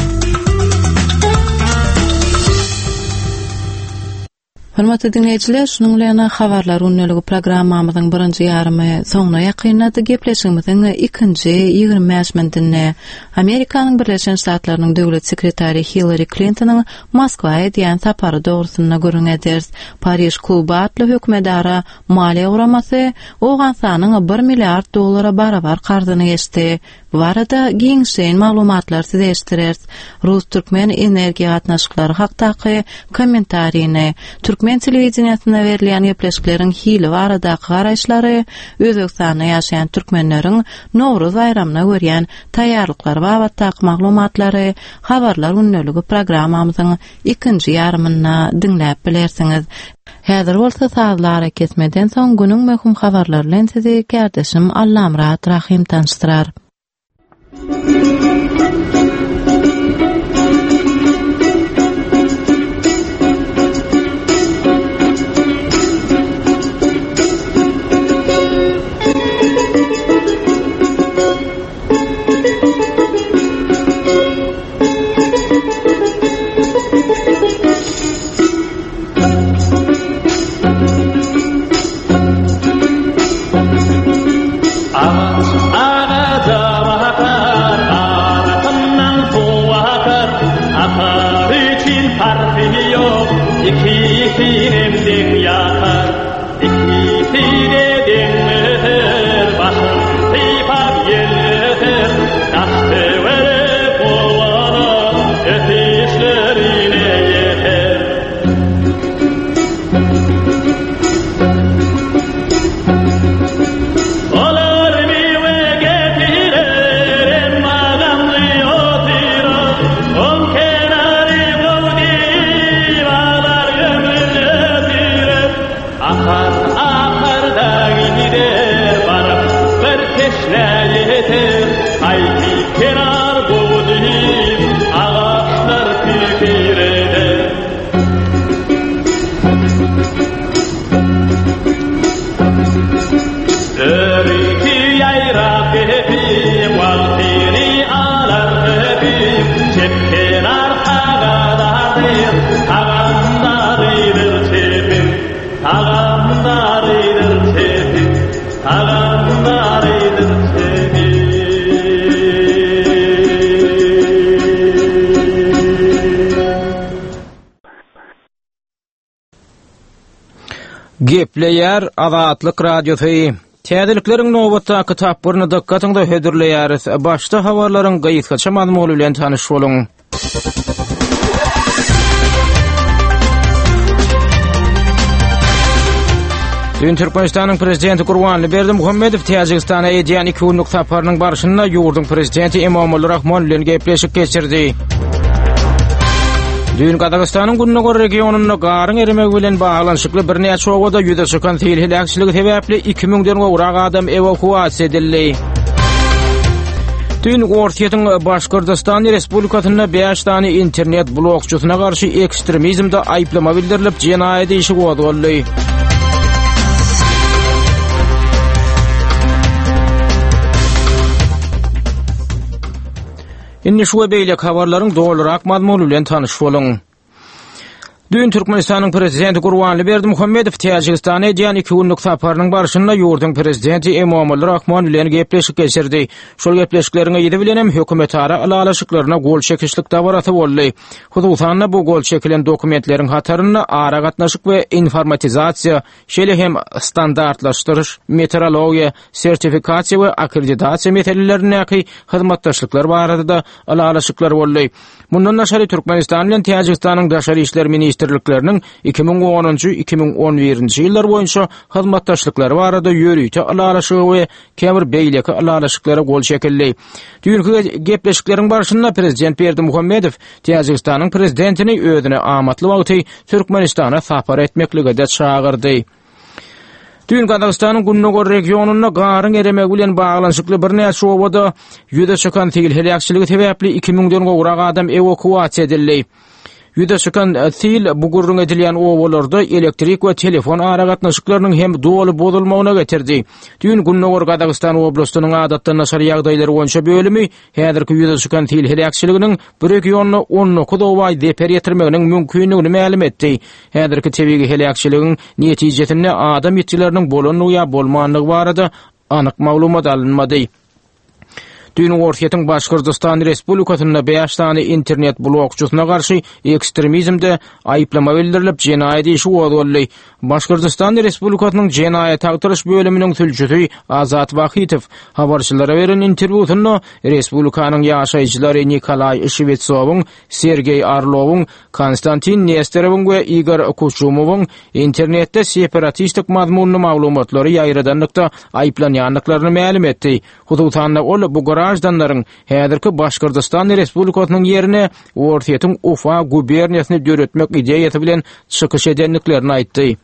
A: Hormatly diňleýjiler, şunuň bilen Habarlar gündeligi programmamyzyň birinji ýarymy soňuna ýakynlady. Gepleşigimiziň ikinji 25 minutynda Amerikanyň Birleşen Ştatlarynyň döwlet sekretary Hillari Klintonyň Moskwa edýän sapary dogrusynda gürrüň ederis. Pariž kluby atly hökümetara maliýe guramasy Owganystanyň bir milliard dollara barabar karzyny geçdi. Bu barada giňişleýin maglumatlary size eşitdireris. Rus-türkmen energiýa gatnaşyklary hakdaky kommentarini, türkmen telewideniýesinde berilýän gepleşikleriň hili baradaky garaýyşlary, Özbegistanda ýaşaýan türkmenleriň Nowruz baýramyna görýän taýýarlyklary babatdaky maglumatlary Habarlar gündeligi programmamyzyň ikinji ýarymynda diňläp bilersiňiz. Häzir bolsa sazly arakesmeden soň günüň möhüm habarlary bilen sizi kärdeşim Allamyrat Rahym tanyşdyrar.
B: Tagam narydyr çepi, tagam narydyr çepi.
V: Gepleýär Azatlyk Radiosy. Täzelikleriň nobatdaky tapgyryny dykgatyňyza hödürleýäris. Başda habarlaryň gysgaça mazmuny bilen tanyş boluň. Düýn Türkmenistanyň Prezidenti Gurbanly Berdimuhamedow Täjigistana edýän iki günlük saparynyň barşynda ýurduň Prezidenti Emomali Rahmon bilen gepleşik geçirdi. Düýn Gazagystanyň gündogar regionynda garyň eremegi bilen baglanyşykly birnäçe obada ýüze çykan sil heläkçiligi sebäpli 2000-den gowrak adam ewakuasiýa edildi. Düýn Orsýetiň Başgyrdystan Respublikasynda 5 sany internet blogçysyna garşy ekstremizmde aýyplama bildirilip, jenaýat işi gozgaldy. Indi şu we beýleki habarlaryň dolurak mazmuny bilen tanyş boluň. Düýn Türkmenistanyň Prezidenti Gurbanly Berdimuhamedow Täjigistana edýän iki günlük saparynyň barşynda ýurduň Prezidenti Emomali Rahmon bilen gepleşik geçirdi. Şol gepleşikleriň yzy bilen hem hökümetara ylalaşyklaryna gol çekişlik dabarasy boldy. Hususan-da, bu gol çekilen dokumentleriň hatarynda aragatnaşyk we informatizasiýa, şeýle hem standartlaşdyryş, metrologiýa, sertifikasiýa we akkreditasiýa meselelerindäki hyzmatdaşlyklar barada-da ylalaşyklar boldy. Mundan daşary, Türkmenistan bilen Täjigistanyň Daşary işler ministrlikleriniň 2010-njy, 2011-nji ýyllar boýunça hyzmatdaşlyklary barada ýörite ylalaşyga we käbir beýleki ylalaşyklara gol çekildi. Düýnki gepleşikleriň barşynda prezident Berdimuhamedow Täjigistanyň prezidentini özüne amatly wagty Türkmenistana sapar etmeklige-de çagyrdy. Düýn Gazagystanyň gündogar regionynda garyň eremegi bilen baglanyşykly birnäçe obada ýüze çykan sil heläkçiligi sebäpli 2000-den gowrak adam ewakuasiýa edildi. Ýüze çykan e, sil bu gürrüň edilýän obalarda elektrik we telefon aragatnaşyklarynyň hem doly bozulmagyna getirdi. Düýn Gündogar Gazagystan oblastynyň adatdan daşary ýagdaýlar boýunça bölümi häzirki ýüze çykan sil heläkçiliginiň bu regionda 19 oba zeper ýetirmeginiň mümkindigini mälim etdi. Häzirki tebigy heläkçiligiň netijesinde adam ýitgileriniň bolandygy ýa bolmandygy barada anyk maglumat alynmady. Düýn Orsýetiň Başgyrdystan Respublikasynda bäş sany internet blogçysyna garşy ekstremizmde aýyplama bildirilip, jenaýat işi gozgaldy. Başgyrdystan Respublikasynyň Jenaýat agtaryş bölüminiň sülçüsi Azat Wahytow habarçylara beren interwýusynda respublikanyň ýaşaýjylary Nikolaý Şwetsowyň, Sergeý Orlowyň, Konstantin Nesterowyň we Igor Kuçumowyň internetde separatistik mazmunly maglumatlary ýaýradanlykda aýyplanýandyklaryny mälim etdi. Hususan-da, ol bu graždanlaryň häzirki Başgyrdystan Respublikasynyň ýerine Orsýetiň Ufa guberniýasyny döretmek ideýasy bilen çykyş edendiklerini aýtdy.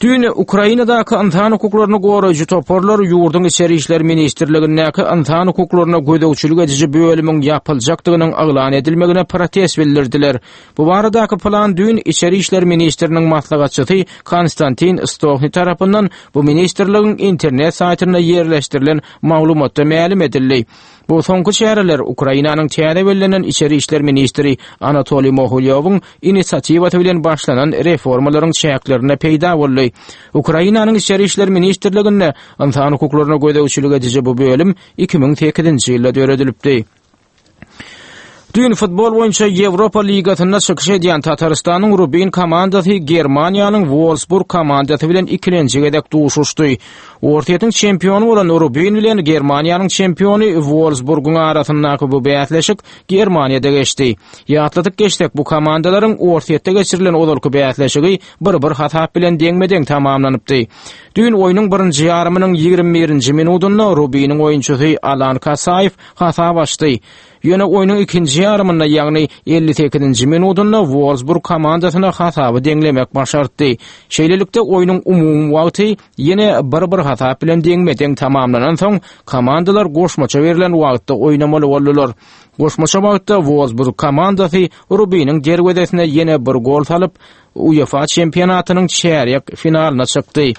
V: Düýn Ukrainadaky ynsan hukuklaryny goraýjy toparlar ýurduň Içeri işler ministrligindäki ynsan hukuklaryna gözegçilik ediji bölümiň ýapyljakdygynyň yglan edilmegine protest bildirdiler. Bu baradaky plan düýn Içeri işler ministriniň maslahatçysy Konstantin Stohni tarapyndan bu ministrligiň internet saýtynda ýerleşdirilen maglumatda mälim edildi. Bu soňky çäreler Ukrainanyň täze bellenen içeri işler ministri Anatoliý Mohilýowyň inisiatiwasy bilen başlanan reformalaryň çäklerinde peýda boldy. Ukrainanyň Içeri işler ministrliginde ynsan hukuklaryna gözegçilik ediji bu bölüm 2008-nji ýylda döredilipdi. Düýn futbol boýunça Ýewropa ligasynda çykyş edýän Tatarystanyň Rubin komandasy Germaniýanyň Wolfsburg komandasy bilen ikilenji gezek duşuşdy. Orsýetiň çempiony bolan Rubin bilen Germaniýanyň çempiony Wolfsburgyň arasyndaky bu bäsleşik Germaniýada geçdi. Ýatladyp geçsek, bu komandalaryň Orsýetde geçirilen ozalky bäsleşigi bir-bir hasap bilen deňme-deň tamamlanypdy. Düýn oýnuň birinji ýarymynyň 21-nji minudynda Rubiniň oýunçysy Alan Kasaýew hasap açdy. Ýöne oýnuň ikinji ýarymynda, ýagny 58-nji minudynda Wolfsburg komandasyna hasaby deňlemek başartdy. Şeýlelikde, oýnuň umumy wagty ýene bir-bir hasap bilen deňme-deň tamamlanansoň, komandalar goşmaça berlen wagtda oýnamaly boldular. Goşmaça wagtda Wolfsburg komandasy Rubiniň derwezesine ýene bir gol salyp, UEFA çempionatynyň çärýek finalyna çykdy.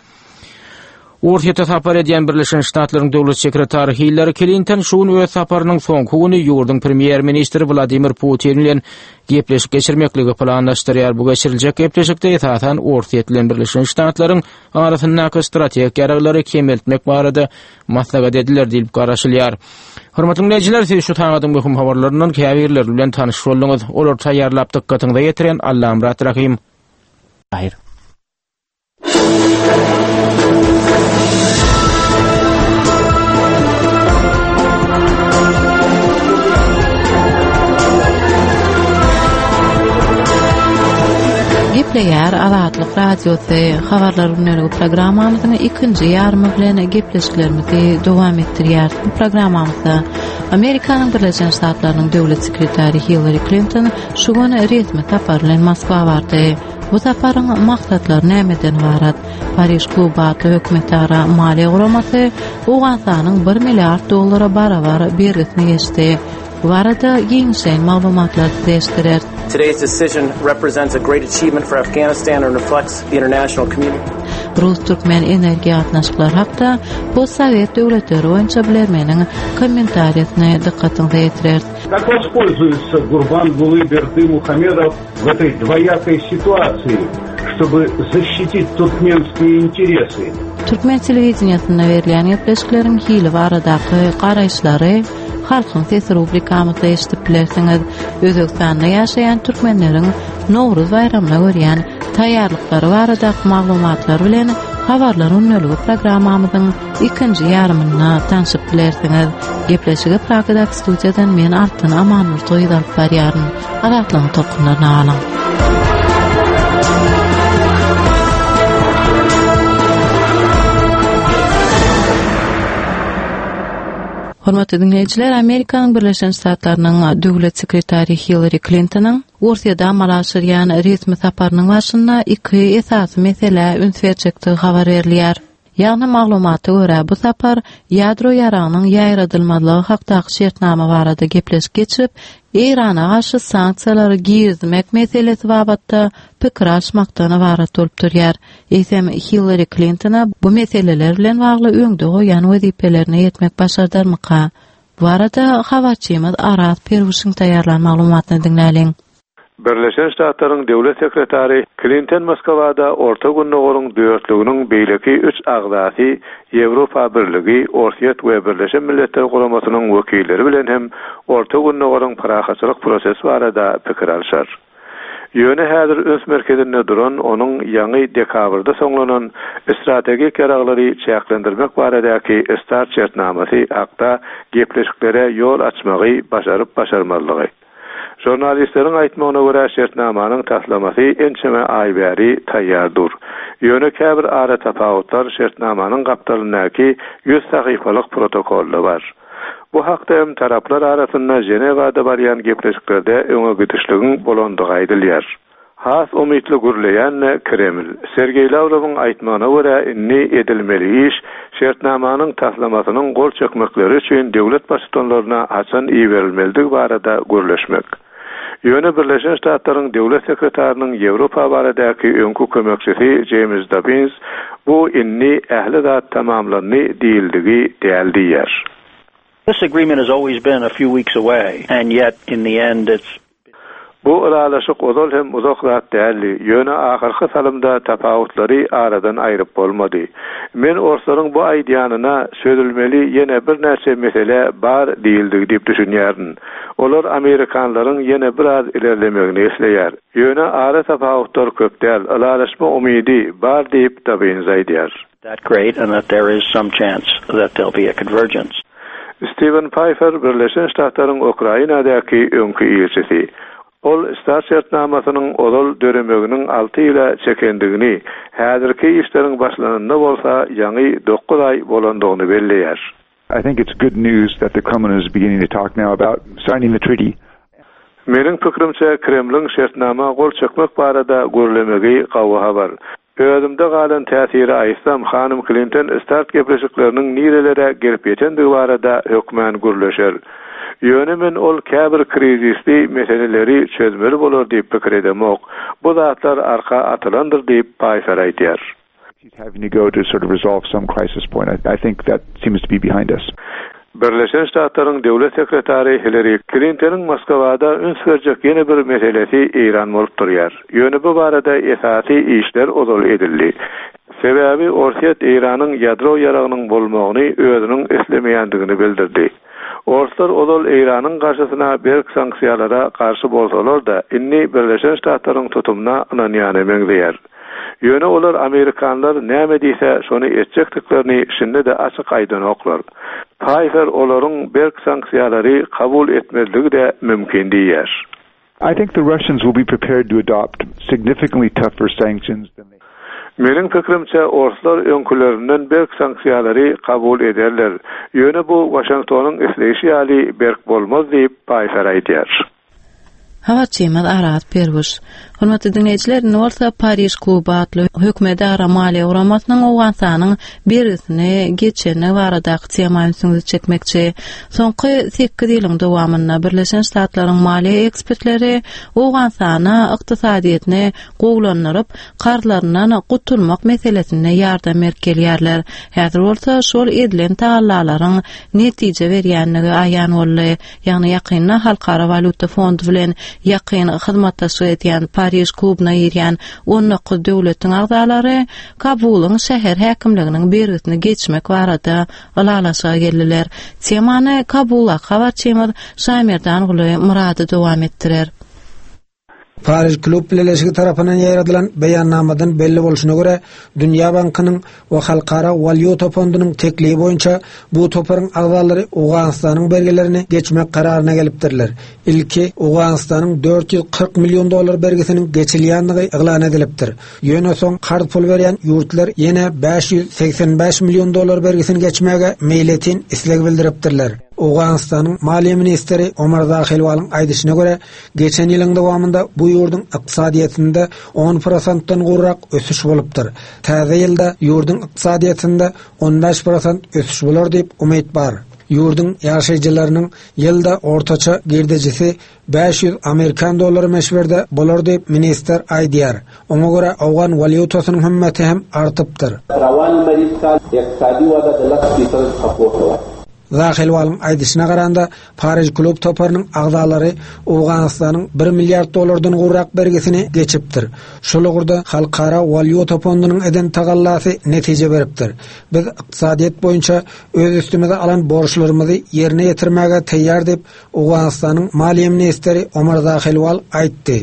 V: Orsýete sapar edýän Birleşen Ştatlaryň Döwlet sekretary Hillari Klinton şu gün öz saparynyň soňky güni ýurduň premýer-ministri Wladimir Putin bilen gepleşik geçirmekligi planlaşdyrýar. Bu geçiriljek gepleşikde esasan Orsýet bilen Birleşen Ştatlaryň arasyndaky strategik ýaraglary kemeltmek barada maslahat ediler diýlip garaşylýar. Hormatly diňleýjiler, siz şu sagadyň möhüm habarlaryndan käbirleri bilen tanyş bolduňyz. Olary taýýarlap dykgatyňyza ýetiren Allamyrat Rahym. Haýyr.
A: Gepleýär Azatlyk Radiosy habarlar gündeligi programmamyzyň ikinji ýarymy bilen gepleşiklerimizi dowam etdirýäris. Bu programmamyzda Amerikanyň Birleşen Ştatlarynyň döwlet sekretary Hillari Klinton şu gün resmi sapar bilen Moskwa bardy. Bu saparyň maksatlary nämeden ybarat? Pariž kluby atly hökümetara maliýe guramasy Owganystanyň bir milliard dollara barabar bergisini geçdi. Bu barada giňişleýin maglumatlary size eşitdireris.
F: Today's decision represents a great achievement for Afghanistan and reflects the international community.
A: Rus-türkmen energiýa gatnaşyklary hakda postsowet döwletleri boýunça bilermeniň kommentariýasyny dykgatyňyza ýetireris.
P: Как воспользуется Гурбангулы Бердымухамедов в этой двоякой ситуации, чтобы защитить туркменские интересы?
A: Türkmen telewideniýesinde berilýän gepleşikleriň hili baradaky garaýyşlary Halkyň sesi rubrikamyzda eşidip bilersiňiz. Özbegistanda ýaşaýan türkmenleriň Nowruz baýramyna görýän taýýarlyklary baradaky maglumatlar bilen Habarlar gündeligi programmamyzyň ikinji ýarymynda tanşyp bilersiňiz. Gepleşigi Pragadaky studiýadan men Altyn Amanmurtoýewa alyp barýaryn. Azatlygyň tolkunlaryna galyň. Hormatly diňleýjiler, Amerikanyň Birleşen Ştatlarynyň Döwlet sekretary Hillari Klintonyň Orsýede amala aşyrýan resmi saparynyň barşynda iki esasy meselä üns berjekdigi habar berilýär. Ýagny maglumata görä, bu sapar ýadro ýaragynyň ýaýradylmazlygy hakdaky şertnama barada gepleşik geçirip, Eýrana garşy sanksiýalary girizmek meselesi babatda pikir alyşmakdan ybarat bolup durýar. Eýsem, Hillari Klintona bu meseleler bilen bagly öňde goýan wezipelerine ýetmek başardarmyka? Bu barada habarçymyz Araz Perwişiň taýýarlan maglumatyny diňläliň.
P: Birleşen Ştatlaryň Döwlet sekretary Klinton Moskwada Orta Gündogaryň dörtlüginiň beýleki üç agzasy Ýewropa Birligi, Orsýet we Birleşen Milletler Guramasynyň wekilleri bilen hem Orta Gündogaryň parahatçylyk prosesi barada pikir alşar. Ýöne häzir üns merkezinde duran onuň ýaňy dekabrda soňlanan strategik ýaraglary çäklendirmek baradaky START şertnamasy hakda gepleşiklere ýol açmagy başaryp-başarmazlygy. Žurnalistleriň aýtmagyna görä, şertnamanyň taslamasy ençeme aý bäri taýýar dur. Ýöne käbir aratapawutlar şertnamanyň gapdalyndaky ýüz sahypalyk protokolda bar. Bu hakda hem taraplar arasynda Ženewada barýan gepleşiklerde öňe gidişligiň bolandygy aýdylýar. Has umytly gürleýän-de Kreml. Sergeý Lawrowyň aýtmagyna görä, indi edilmeli iş, şertnamanyň taslamasynyň gol çekmekleri üçin döwlet baştutanlaryna haçan iberilmelidigi barada gürleşmek. Ýöne Birleşen Ştatlaryň Döwlet sekretarynyň Ýewropa baradaky öňki kömekçisi Jeýms Dobbins bu indi ähli zat tamamlandy diýildigi däl diýýär.
H: This agreement has always been a few weeks away and yet in the end it's
P: Bu ylalaşyk ozal hem uzak zat däldi, ýöne ahyrky salymda tapawutlary aradan aýryp bolmady. Men orslaryň bu aýdýanyna çözülmeli ýene birnäçe mesele bar diýildigi diýip düşünýärin. Olar amerikanlaryň ýene biraz ilerlemegini isleýär. Ýöne ara tapawutlar köp däl, ylalaşma umydy bar diýip, Dobbins aýdýar.
H: That great and that there is some chance that there'll be a convergence.
P: Stiwen Paýfer Birleşen Ştatlaryň Ukrainadaky öňki ilçisi. Ol START şertnamasynyň ozal döremeginiň alty ýyla çekendigini, häzirki işleriň başlananyna bolsa ýaňy dokuz aý bolandygyny belleýär.
W: I think it's good news that the Kremlin is beginning to talk now about signing the treaty.
P: Meniň pikirimçe, Kremliň şertnama gol çekmek barada gürlemegi gawy habar. Özümde galan täsiri aýtsam, hanym Klinton START gepleşikleriniň nirelere gelip ýetendigi barada hökmän gürleşer. Ýöne men ol käbir krizisli meseleleri çözmeli bolar diýip pikir edemok. Bu zatlar arka atylandyr diýip, Paýfer aýdýar.
W: He's having to go to sort of resolve some crisis point. I, I think that seems to be behind us.
P: Birleşen Ştatlaryň Döwlet sekretary Hillari Klintonyň Moskwada üns berjek ýene bir meselesi Eýran bolup durýar. Ýöne bu barada esasy işler ozal edildi. Sebäbi Orsýet Eýranyň ýadro ýaragynyň bolmagyny özüniň islemeýändigini bildirdi. Orslar ozal Eýranyň garşysyna berk sanksiýalara garşy bolsalar-da, indi Birleşen Ştatlaryň tutumyna ynanýana meňzeýär. Ýöne olar amerikanlar näme diýse, şony etjekdiklerini şindi-de açyk aýdanoklar. Paýfer olaryň berk sanksiýalary kabul etmezligi-de mümkin diýýär.
W: I think the Russians will be prepared to adopt significantly tougher sanctions than they
P: Meniň pikirimçe, orslar öňkülerinden berk sanksiýalary kabul ederler. Ýöne bu Waşingtonyň isleýşi ýaly berk bolmaz diýip, Paýfer aýdýar.
A: Habarçymyz Araz Perwiş. Hormatly diňleýjiler, indi bolsa Pariž kluby atly hökümetara maliýe guramasynyň Owganystanyň bergisini geçendigi baradaky tema ünsüňizi çekmekçi. Soňky sekiz ýylyň dowamynda Birleşen Ştatlaryň maliýe ekspertleri Owganystana ykdysadyýetini gowulandyryp, karzlaryndan gutulmak meselesinde ýardam berip gelýärler. Häzir bolsa şol edilen tagallalaryň netije berýändigi aýan boldy. Ýagny ýakynda Halkara walýuta fondy bilen ýakyn hyzmatdaşlyk edýän Pariž klubyna girýän 19 döwletiň agzalary Kabulyň şäher häkimliginiň bergisini geçmek barada ylalaşyga geldiler. Temany Kabuldaky habarçymyz Şaýmerdanguly Myrady dowam etdirer.
K: Pariž klub bileleşigi tarapyndan ýaýradylan beýannamadan belli bolşuna görä, Dünýä bankynyň we Halkara walýuta fondunyň teklibi boýunça bu toparyň agzalary Owganystanyň bergilerini geçmek kararyna gelipdirler. Ilki Owganystanyň 440 million dollar bergisiniň geçilýändigi yglan edilipdir. Ýöne soň karz pul berýän ýurtlar ýene 585 million dollar bergisini geçmäge meýletin isleg bildiripdirler. Owganystanyň maliýe ministri Omar Zahilwalyň aýdyşyna görä, Geçen ýylyň dowamynda bu ýurduň ykdysadyýetinde on prosentden gowrak ösüş bolupdyr. Täze ýylda ýurduň ykdysadyýetinde on bäş prosent ösüş bolar diýip umyt bar. Ýurduň ýaşaýjylarynyň ýylda ortaça girdejisi 500 amerikan dollary möçberde bolar diýip, ministr aýdýar. Oňa görä, owgan walýutasynyň hümmeti hem artypdyr. Zahelwalyň aýdyşyna garanda, Pariž klub toparynyň agzalary Owganystanyň bir milliard dollardan gowrak bergisini geçipdir. Şol ugurda Halkara walýuta fondunyň eden tagallasy netije beripdir. Biz ykdysadyýet boýunça öz üstümize alan borçlarymyzy ýerine ýetirmäge taýýar diýip, Owganystanyň maliýe ministri Omar Zahelwal aýtdy.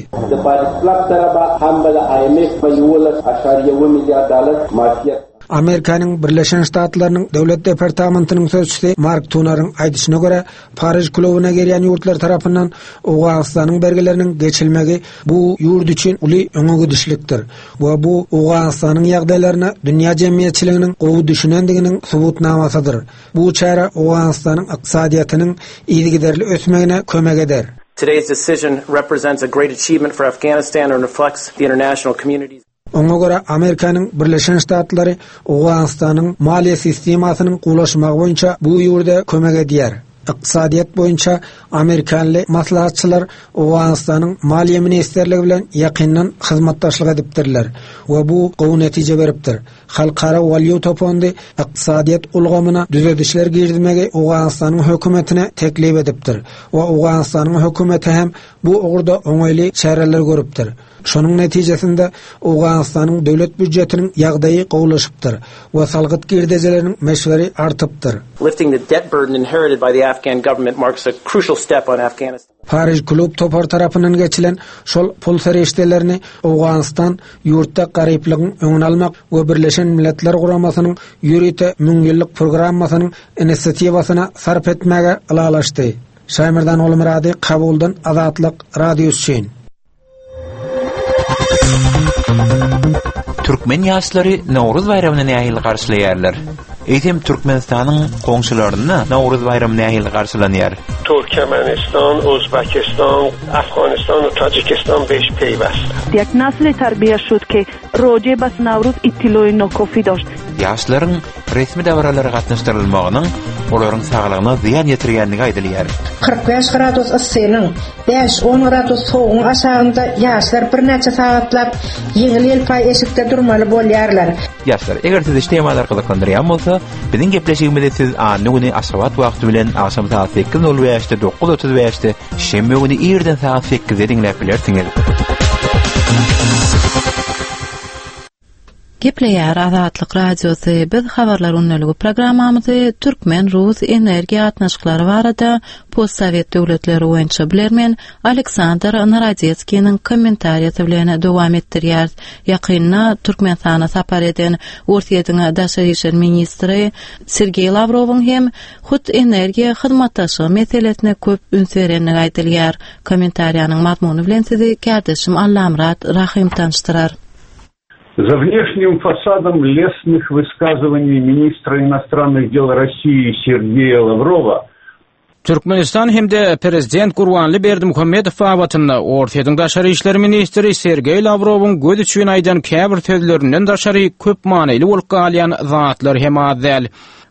K: Amerikanyň Birleşen Ştatlarynyň Döwlet departamentiniň sözçüsi Mark Tunaryň aýdyşyna görä, Pariž klubyna girýän ýurtlar tarapyndan Owganystanyň bergileriniň geçilmegi bu ýurt üçin uly öňe gidişlikdir we bu Owganystanyň ýagdaýlaryna dünýä jemgyýetçiliginiň gowy düşünendiginiň subutnamasydyr. Bu çäre Owganystanyň ykdysadyýetiniň yzygiderli ösmegine kömek eder.
F: Today's decision represents a great achievement for Afghanistan and reflects the international community's.
K: Oňa görä, Amerikanyň Birleşen Ştatlary Owganystanyň maliýe sistemasynyň gowulaşmagy boýunça bu ýurda kömek edýär. Ykdysadyýet boýunça amerikanly maslahatçylar Owganystanyň Maliýe ministrligi bilen ýakyndan hyzmatdaşlyk edipdirler we bu gowy netije beripdir. Halkara walýuta fondy ykdysadyýet ulgamyna düzedişler girizmegi Owganystanyň hökümetine teklip edipdir we Owganystanyň hökümeti hem bu ugurda oňaýly çäreler görüpdir. Şonuň netijesinde Owganystanyň döwlet býujetiniň ýagdaýy gowulaşypdyr we salgyt girdejileriniň möçberi artypdyr.
F: Lifting the debt burden inherited by the Afghan government marks a crucial step on Afghanistan's.
K: Pariž klub topary tarapyndan geçilen şol pul serişdelerini Owganystan ýurtda garyplygyň öňüni almak we Birleşen Milletler Guramasynyň ýörite müňýyllyk programmasynyň inisiatiwasyna sarp etmäge ylalaşdy. Şaýmerdan Gulmyrady, Kabuldan Azatlyk Radiosy üçin.
C: Türkmen ýaşlary Nowruz baýramyny nähili garşylaýarlar? Eýsem Türkmenistanyň goňşularynda Nowruz baýramy nähili garşylanýar?
I: Türkmenistan, Özbekistan, Afganistan we Tajikistan beş peýwest.
M: Ýek nasli terbiýe şud ki roje bas Nowruz ittiloýi nokofi doşt.
C: Ýaşlaryň resmi dabaralara gatnaşdyrylmagynyň. olaryň saglygyna zyýan ýetirýändigi aýdylýar.
L: 45 gradus yssynyň, bäş-on gradus sowugyň aşagynda ýaşlar birnäçe sagatlap ýeňil-ýelpaý eşikde durmaly bolýarlar.
C: Ýaşlar, eger sizi şu temalar gyzyklandyrýan bolsa, biziň gepleşigimizi siz anna güni Aşgabat wagty bilen agşam sagat sekiz nol bäşde, 9:35-de, şenbe güni irden sagat sekizde diňläp bilersiňiz.
A: Gepleýär Azatlyk Radiosy, biz Habarlar gündeligi programmamyzy türkmen-rus energiýa gatnaşyklary barada postsowet döwletleri boýunça bilermen Aleksandr Narodetskiniň kommentariýasy bilen dowam etdirýäris. Ýakynda Türkmenistana sapar eden Orsýetiň daşary işler ministri Sergeý Lawrowyň hem hut energiýa hyzmatdaşlygy meselesine köp üns berendigi aýdylýar. Kommentariýanyň mazmuny bilen sizi kärdeşim Allamyrat Rahym tanyşdyrar.
P: За внешним фасадом лестных высказываний министра иностранных дел России Сергея Лаврова
V: Türkmenistan hem-de prezident Gurbanly Berdimuhamedow babatynda Orsýetiň daşary işler ministri Sergeý Lawrowyň göz üçin aýdan käbir sözlerinden daşary köp manyly bolup galýan zatlar hem az däl.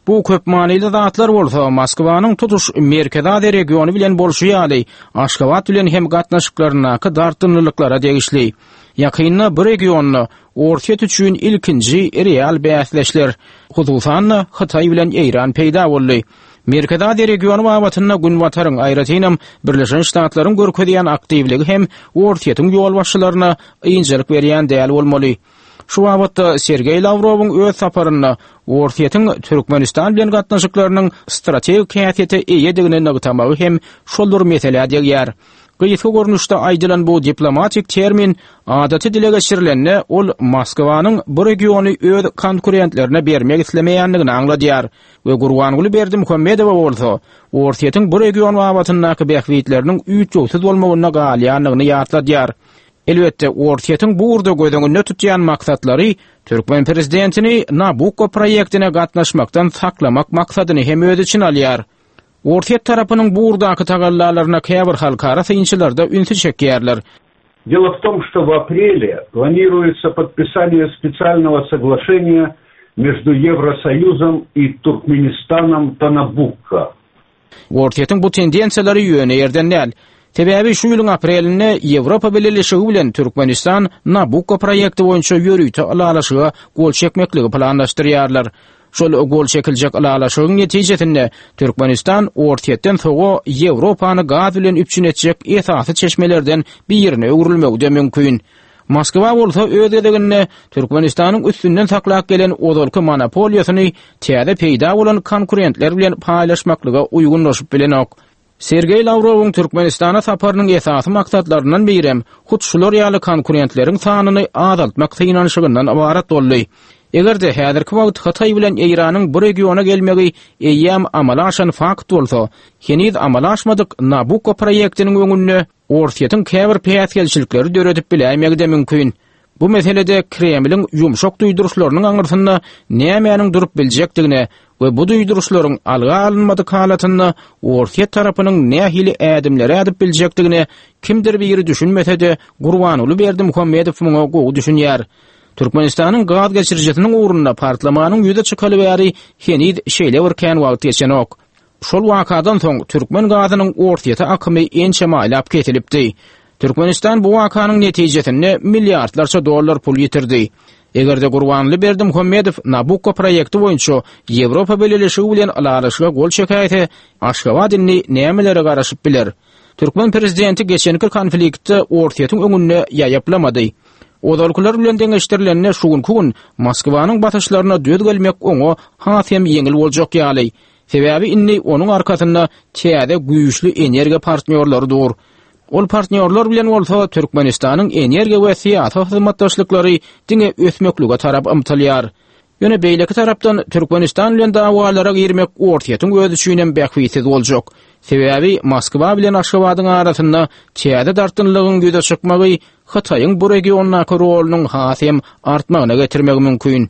V: Bu köp manyly zatlar bolsa Moskwanyň tutuş Merkezi Aziýa regiony bilen bolşy ýaly, Aşgabat bilen hem gatnaşyklaryndaky dartgynlylyklara degişli. Ýakynda bu regionda Orsýet üçin ilkinji real bäsdeşler, hususan-da, Hytaý bilen Eýran peýda boldy. Merkezi Aziýa regiony babatynda Günbataryň, aýratynam, Birleşen Ştatlaryň görkezýän aktiwligi hem Orsýetiň ýolbaşçylaryna ynjalyk berýän däl bolmaly. Şu babatda Sergeý Lawrowyň öz saparynda Orsýetiň Türkmenistan bilen gatnaşyklarynyň strategik häsiýete eýedigini nygtamagy hem şol bir meselä degýär. Gysga görnüşde aýdylan bu diplomatik termin adaty dile geçirilende, ol Moskwanyň bu regiony öz konkurentlerine bermek islemeýändigini aňladýar we Gurbanguly Berdimuhamedowa bolsa Orsýetiň bu region babatyndaky bähbitleriniň üýtgewsiz bolmagynda galýandygyny ýatladýar. Elbetde, Orsýetiň bu ugurda göz öňünde tutýan maksatlary türkmen prezidentini Nabukko proýektine gatnaşmakdan saklamak maksadyny hem öz içine alýar. Orsýet tarapynyň bu ugurdaky tagallalaryna käbir halkara synçylar-da ünsi çekýärler.
P: Дело в том, что в апреле планируется подписание специального соглашения между Евросоюзом и Туркменистаном по Набукко.
V: Orsýetiň bu tendensiýalary ýöne ýerden däl. Sebäbi şu ýylyň aprelinde Ýewropa Bileleşigi bilen Türkmenistan Nabukko proýekti boýunça ýörite ylalaşyga gol çekmekligi planlaşdyrýarlar. Şol gol çekiljek ylalaşygyň netijesinde Türkmenistan Orsýetden sowa Ýewropany gaz bilen üpjün etjek esasy çeşmelerden birine öwrülmegi-de mümkin. Moskwa bolsa öz gezeginde Türkmenistanyň üstünden saklap gelen ozalky monopoliýasyny täze peýda bolan konkurentler bilen paýlaşmaklyga uýgunlaşyp bilenok. Sergeý Lawrowyň Türkmenistana saparynyň esasy maksatlaryndan birem hut şular ýaly konkurentleriň sanyny azaltmak synanyşygyndan ybarat boldy. Eger-de häzirki wagt Hytaý bilen Eýranyň bu regiona gelmegi eýýäm amala aşan fakt bolsa, heniz amala aşmadyk Nabukko proýektiniň öňünde Orsýetiň käbir päsgelçilikleri döredip biläýmegi-de mümkin. Bu meselede Kremliň ýumşak duýduryşlarynyň aňyrsynda nämäniň durup biljekdigine we bu duýduryşlaryň alga alynmadyk halatynda Orsýet tarapynyň nähili ädimleri ädip biljekdigine kimdir biri düşünmese-de, Gurbanguly Berdimuhamedow muňa gowy düşünýär. Türkmenistanyň gaz geçirijisiniň ugrunda partlamanyň ýüze çykaly bäri heniz şeýle bir kän wagt geçenok. Şol wakadan soň türkmen gazynyň Orsýete akymy ençeme aýlap kesilipdi. Türkmenistan bu wakanyň netijesinde milliardlarça dollar pul ýitirdi. Eger-de Gurbanguly Berdimuhamedow Nabukko proýekti boýunça Ýewropa Bileleşigi bilen ylalaşyga gol çekäýse, Aşgabat indi nämelere garaşyp biler? Türkmen prezidenti geçenki konfliktde Orsýetiň öňünde ýaýaplamady. Ozalkylar bilen deňeşdirilende şu günki gün Moskwanyň basyşlaryna döz gelmek oňa has hem ýeňil boljak ýaly. Sebäbi indi onuň arkasynda täze güýçli energiýa partnýorlary dur. Ol partnýorlar bilen bolsa Türkmenistanyň energiýa we syýasy hyzmatdaşlyklary diňe ösmeklige tarap ymtylýar. Ýöne beýleki tarapdan Türkmenistan bilen dawalara girmek Orsýetiň özi üçinem bähbitsiz boljak. Sebäbi Moskwa bilen Aşgabadyň arasynda täze dartgynlygyň ýüze çykmagy Hytaýyň bu regiondaky rolunyň has hem artmagyna getirmegi mümkin.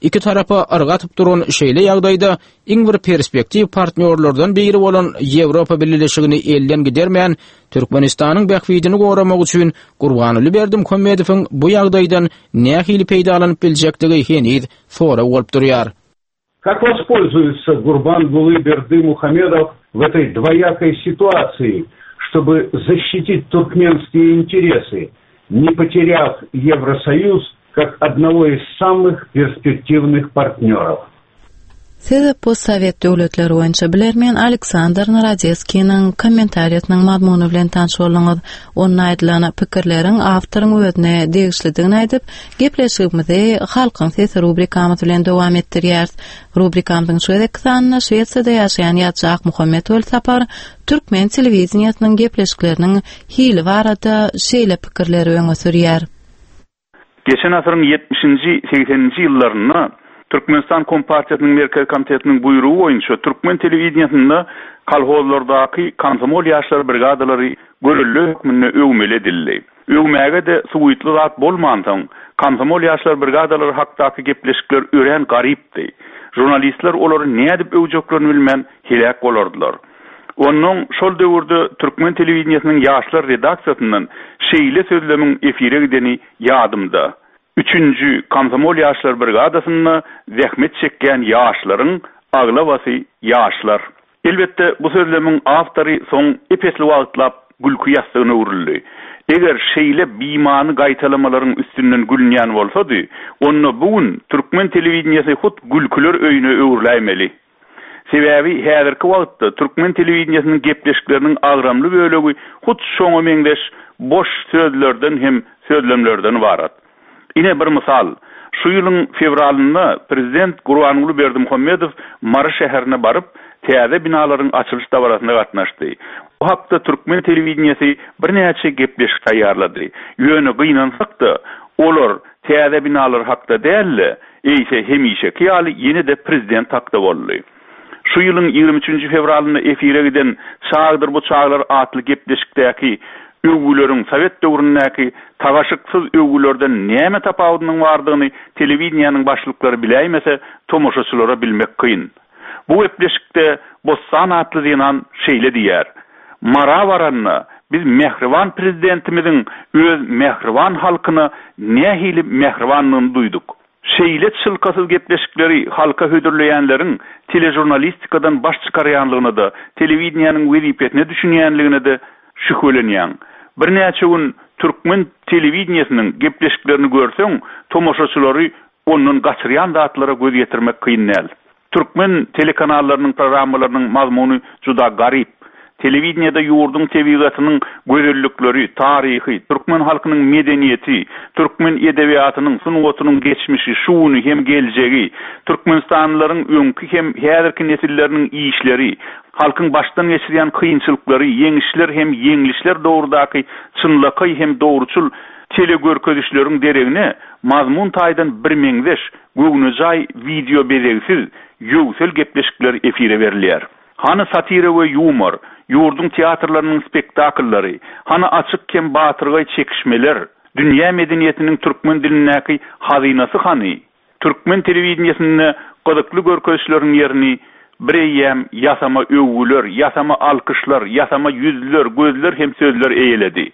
V: Iki tarapa yrga atyp duran şeýle ýagdaýda iň bir perspektiw partnýorlardan biri bolan Ýewropa Bileleşigini elden gidermän, Türkmenistanyň bähbidini goramak üçin Gurbanguly Berdimuhamedowyň bu ýagdaýdan nähili peýdalanyp biljekdigi heniz sorag bolup durýar.
G: Как воспользуется Гурбангулы Бердымухамедов в этой двоякой ситуации, чтобы защитить туркменские интересы, не потеряв Евросоюз как одного из самых перспективных партнеров?
A: Siz postsowet döwletleri boýunça bilermen Aleksandr Narodetskiniň kommentariýasynyň mazmuny bilen tanyş bolduňyz. Onda aýdylan pikirleriň awtoryň özüne degişlidigini aýdyp, gepleşigimizi Halkyň sesi rubrikamyz bilen dowam etdirýäris. Rubrikamyzyň şu gezekki sanynda Şwesiýada ýaşaýan ýazyjy Akmuhammet Welsapar türkmen telewideniýesiniň gepleşikleriniň hili barada şeýle pikirleri öňe sürýär.
N: Geçen asyryň ýetmişinji, segseninji ýyllarynda Türkmenistan Kompartiýasynyň Merkezi Komitetiniň buýrugy boýunça türkmen telewideniýesinde kolhozlardaky komsomol ýaşlar brigadalary görelde hökmünde öwmeli edildi. Öwmäge-de suwytly zat bolmansoň, komsomol ýaşlar brigadalary hakdaky gepleşikler örän garypdy. Žurnalistler olary nädip öwjeklerini bilmän heläk bolardylar. Onnoň şol döwürde türkmen telewideniýesiniň ýaşlar redaksiýasyndan şeýle sözlemiň efire gideni ýadymda, Üçünji komsomol ýaşlar brigadasynda zähmet çekýän ýaşlaryň aglabasy ýaşlar. Elbetde, bu sözlemiň awtory soň ep-esli wagtlap gülki ýassygyna öwrüldi. Eger şeýle bimany gaýtalamalaryň üstünden gülünýän bolsady, onda bu gün türkmen telewideniýesi hut gülküler öýüne öwrüläýmeli. Sebäbi häzirki wagtda türkmen telewideniýesiniň gepleşikleriniň agramly bölegi hut şoňa meňzeş boş sözlerden hem sözlemlerden ybarat. Ine bir mysal, şu ýylyň fewralynda prezident Gurbanguly Berdimuhamedow Mary şäherine baryp, täze binalaryň açylyş dabarasyna gatnaşdy. Bu hakda türkmen telewideniýesi birnäçe gepleşik taýýarlady. Ýöne gynansak-da, olar täze binalar hakda däl-de, Eýse, hemişeki ýaly ýene-de prezident hakda boldy. Şu ýylyň 23 nji fewralynda efire giden Çagdyr bu çaglar atly gepleşikdäki öwgüleriň sowet döwründäki tagaşyksyz öwgülerden näme tapawudynyň bardygyny telewideniýäniň başlyklary biläýmese, tomaşaçylara bilmek kyn. Bu gepleşikde Bossan atly zenan şeýle diýýär, Mara baranda biz mähriban Prezidentimiziň öz mähriban halkyna nähili mähribandygyny duýduk. Şeýle çylkasyz gepleşikleri halka hödürleýänleriň teležurnalistikadan baş çykarýanlygyna-da, telewideniýäniň wezipesine düşünýänligine-de şübhelenýäň. Birnäçe gün türkmen telewideniýesiniň gepleşiklerini görseň, tomaşaçylary ondan gaçyrýan zatlara göz ýetirmek kyn däl. Türkmen telekanallarynyň programmalarynyň mazmuny juda garyp. Telewideniýede ýurduň tebigatynyň gözellikleri, taryhy, türkmen halkynyň medeniýeti, türkmen edebiýatynyň, sungatynyň geçmişi, şu güni hem geljegi, türkmenistanlylaryň öňki hem häzirki nesilleriniň işleri, halkyň başdan geçirýän kynçylyklary, ýeňişler hem ýeňlişler dogrudaky çynlakaý hem dogruçyl telegörkezişleriň deregine mazmun taýdan birmeňzeş, göwnejaý wideobezegsiz, ýöwsel gepleşikler efire berilýär. Hany satira we ýumor, ýurduň teatrlarynyň spektakllary, hany açyk hem batyrgaý çekişmeler, dünýä medeniýetiniň türkmen dilindäki hazynasy hany? Türkmen telewideniýesinde gyzykly görkezişleriň ýerini Bireýýäm ýasama öwgüler, ýasama alkyşlar, ýasama ýüzler, gözler hem sözler eýeledi.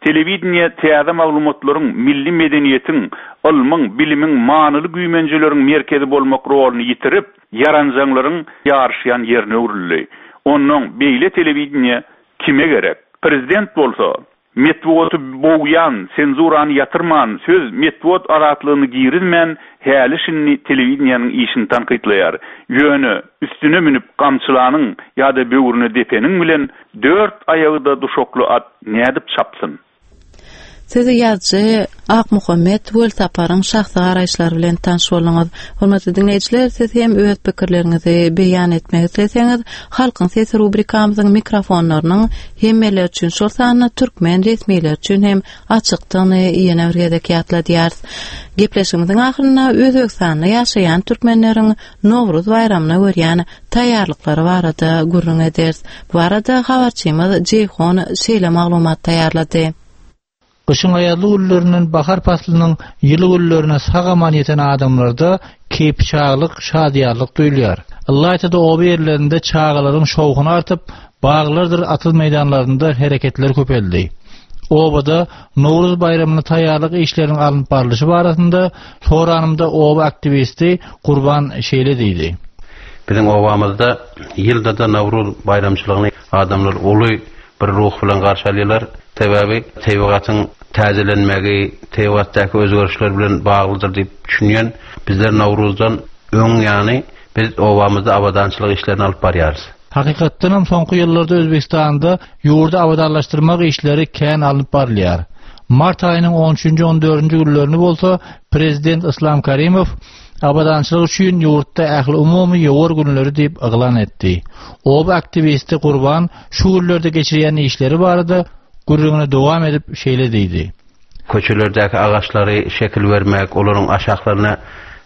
N: Telewideniýe täze maglumatlaryň, milli medeniýetiň, ylmyň, bilimiň, manyly güýmenjeleriň merkezi bolmak roluny ýitirip, ýaranjaňlaryň ýaryşýan ýerine öwrüldi. Onnoň beýle telewideniýe kime gerek? Prezident bolsa, Metbugaty bogýan, senzurany ýatyrman, söz, metbugat azatlygyny girizmän, häli-şindi telewideniýäniň işini tankytlaýar. Ýöne, üstüne münüp gamçylanyň ýa-da böwrüne depeniň bilen dört aýagy-da duşakly at nädip çapsyn?
A: Siz ýazyjy Akmuhammet Welsaparyň şahsy garaýyşlary bilen tanyş bolduňyz. Hormatly diňleýjiler, siz hem öz pikirleriňizi beýan etmek isleseňiz, Halkyň sesi rubrikamyzyň mikrofonlarynyň hemmeler üçin, şol sanda türkmen resmileri üçin hem açykdygyny ýene bir gezek ýatladýarys. Gepleşigimiziň ahyrynda Özbegistanda ýaşaýan türkmenleriň Nowruz baýramyna görýän taýýarlyklary barada gürrüň ederis. Bu barada habarçymyz Jeýhun şeýle maglumat taýýarlady.
Q: Gyşyň aýazly günlerinden bahar paslynyň ýyly günlerine sag-aman ýeten adamlarda keýpiçaglyk, şadyýanlyk duýulýar. Ylaýta-da oba ýerlerinde çagalaryň şowhuny artyp, baglardyr atyz meýdanlarynda hereketler köpeldi. Obada Nowruz baýramyna taýýarlyk işleriniň alnyp barlyşy barasynda soranymda oba aktiwisti Gurban şeýle diýdi.
O: Biziň obamyzda ýylda-da Nowruz baýramçylygyny adamlar uly bir ruh bilen garşy alýarlar. Sebäbi tebigatyň täzelenmegi, tebigatdaky özgerişler bilen baglydyr diýip düşünýän. Bizler Nowruzdan öň ýany biz obamyzda abadançylyk işlerini alyp barýarys.
Q: Hakykatdanam soňky ýyllarda Özbegistanda ýurdy abadanlaşdyrmak işleri kän alnyp barylýar. Mart aýynyň on üçünji, on dördünji günlerini bolsa prezident Yslam Karimow abadançylyk üçin ýurtda ähliumumy ýowar günleri diýip yglan etdi. Oba aktiwisti Gurban şu günlerde geçirýän işleri barada gürrüňini dowam edip şeýle diýdi.
O: Köçelerdäki agaçlary şekil bermek, olaryň aşaklaryna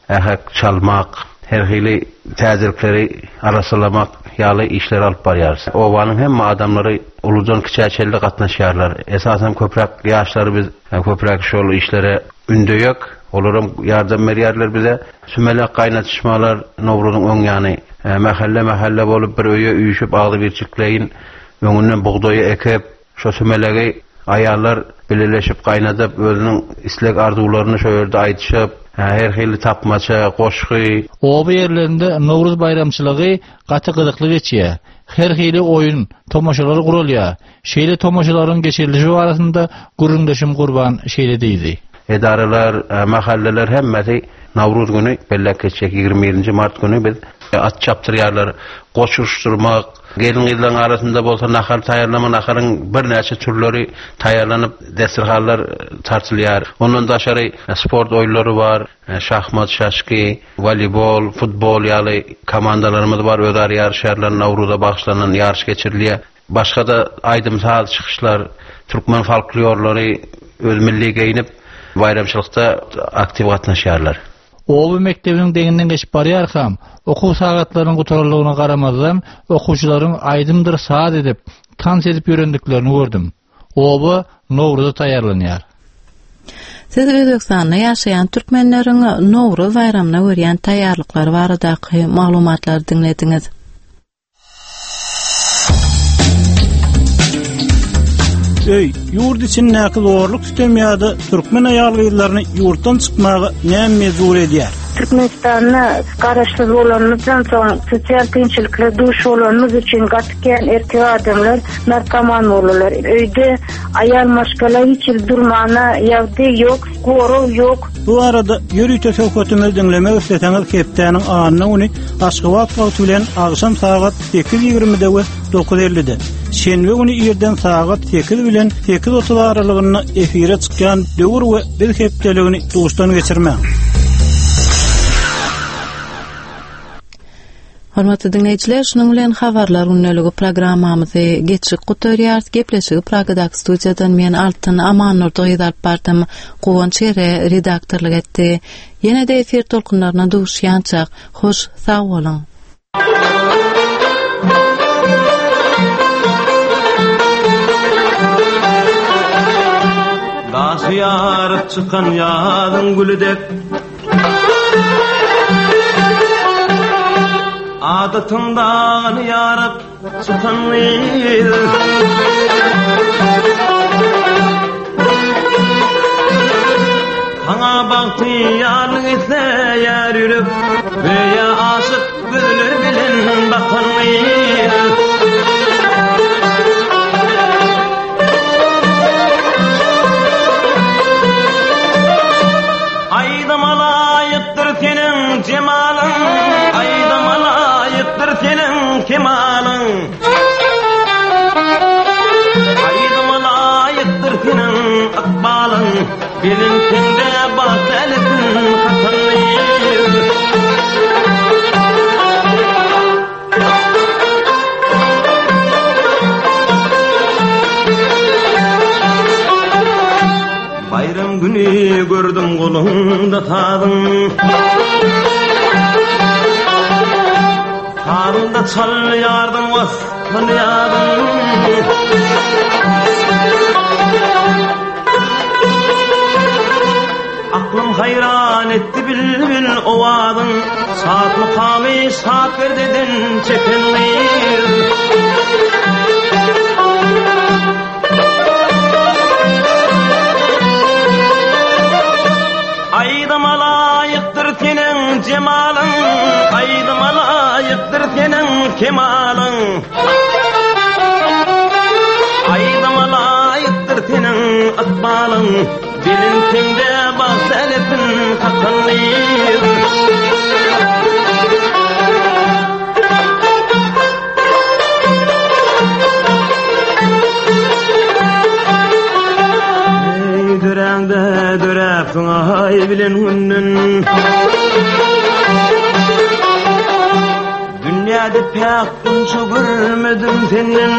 O: ähek çalmak, her hili täzelikleri arassalamak ýaly işleri alyp barýarys. Obanyň hemme adamlary uludan kiçä çenli gatnaşýarlar. Esasan köpräk ýaşlary biz köpräk şol işlere ündeýek. Olaram ýardam berýärler bize. Sümelek gaýnatyşmalar Nowruzyň öň ýany mähelle-mähelle bolup bir öýe üýşüp agzybirçikleýin öňünden bugdaýy ekip, Şo sümelegi aýallar bileleşip gaýnadyp, özüniň isleg-arzuwlaryny şo ýerde aýdyşyp, her hili tapmaça, goşgy.
Q: Oba ýerlerinde Nowruz baýramçylygy gaty gyzykly geçýär. Her hili oýun, tomaşalar guralýar. Şeýle tomaşalaryň geçirilişi barasynda gürrüňdeşim Gurban şeýle diýdi.
O: Edaralar, mahalleler hemmesi Nowruz güni belläp geçjek. 21-nji mart güni biz at çapdyrýarlar, goç uruşdyrmak, Gelin-gyzlaryň arasynda bolsa nahar taýýarlama, naharyň birnäçe türleri taýýarlanyp, desterhanlar tartylýar. Ondan daşary sport oýunlary bar, şahmat, şaşki, woleýbol, futbol ýaly komandalarymyz bar, özara ýaryşýarlar, Nowruza bagyşlanan ýaryş geçirilýär. Başga-da aýdym-saz çykyşlar, türkmen folklorlary öz milli geýnip, baýramçylykda aktiw gatnaşýarlar.
Q: Oba mekdebiniň deňinden geçip barýarkam, okuw sagatlarynyň gutaranlygyna garamazdan, okuwçylaryň aýdymdyr saz edip, tans edip ýörendiklerini gördüm. Oba Nowruza taýýarlanýar.
A: Siz Özbegistanda ýaşaýan türkmenleriň Nowruz baýramyna görýän taýýarlyklary baradaky maglumatlary diňlediňiz.
R: Öý, ýurt içindäki zorluk-sütem ýa-da türkmen aýal-gyzlaryny ýurtdan çykmaga näme mejbur edýär?
S: Türkmenistanda garaşsyz bolanymyzdan soň sosial kynçylyklara duş bolanymyz üçin gaty kän erkek adamlar narkoman boldular. Öýde aýal maşgala hiç hili durmana ýagdaý ýok, gorag ýok.
R: Bu barada ýörite söhbetimizi diňlemek isleseňiz hepdäniň anna güni Aşgabat wagty bilen agşam sagat 8:20-de we 9:50-de, şenbe güni irden sagat 8 bilen 8:30 aralygynda efire çykýan Döwür we biz hepdeligini duşdan geçirmäň.
A: Hormatly diňleýjiler, şunuň bilen habarlar gündeligi programmamyzy geçip gutarýarys. Gepleşigi Pragadaky studiýadan men Altyn Amannurdy gyz alyp bardym. Guwanç Ere redaktorlyk etdi. Ýene-de efir tolkunlaryna duşýançak, hoş sag boluň!
B: Daşy ýaryp çykan ýazyň güli dek Adatyň dagyny ýaryp çykan gyz Saňa bagty ýarlyk isleýär ýürek Göýä aşyk gözler bilen bakan gyz Aýdyma laýykdyr seniň jemalyň, Aýdyma laýykdyr seniň kemalyň. Aýdyma laýykdyr seniň ykbalyň, Gelin sende bagt älesin hatarly. Baýram güni gördüm goluňda sazyň Sazyňda çalýardyň waspyny ýazyň Aklym haýran etdi bilbil owazyň, Şat mukamy şat perdeden çeken gyz. Aýdyma laýykdyr seniň jemalyň, Aýdyma laýyk. laýykdyr seniň kemalyň. Aýdyma laýykdyr seniň ykbalyň. Belentinde bagt älesin kakan gyz. Eý, döräňde döräpsiň aý bilen günden. Dünýäde päk gunça görmedim senden.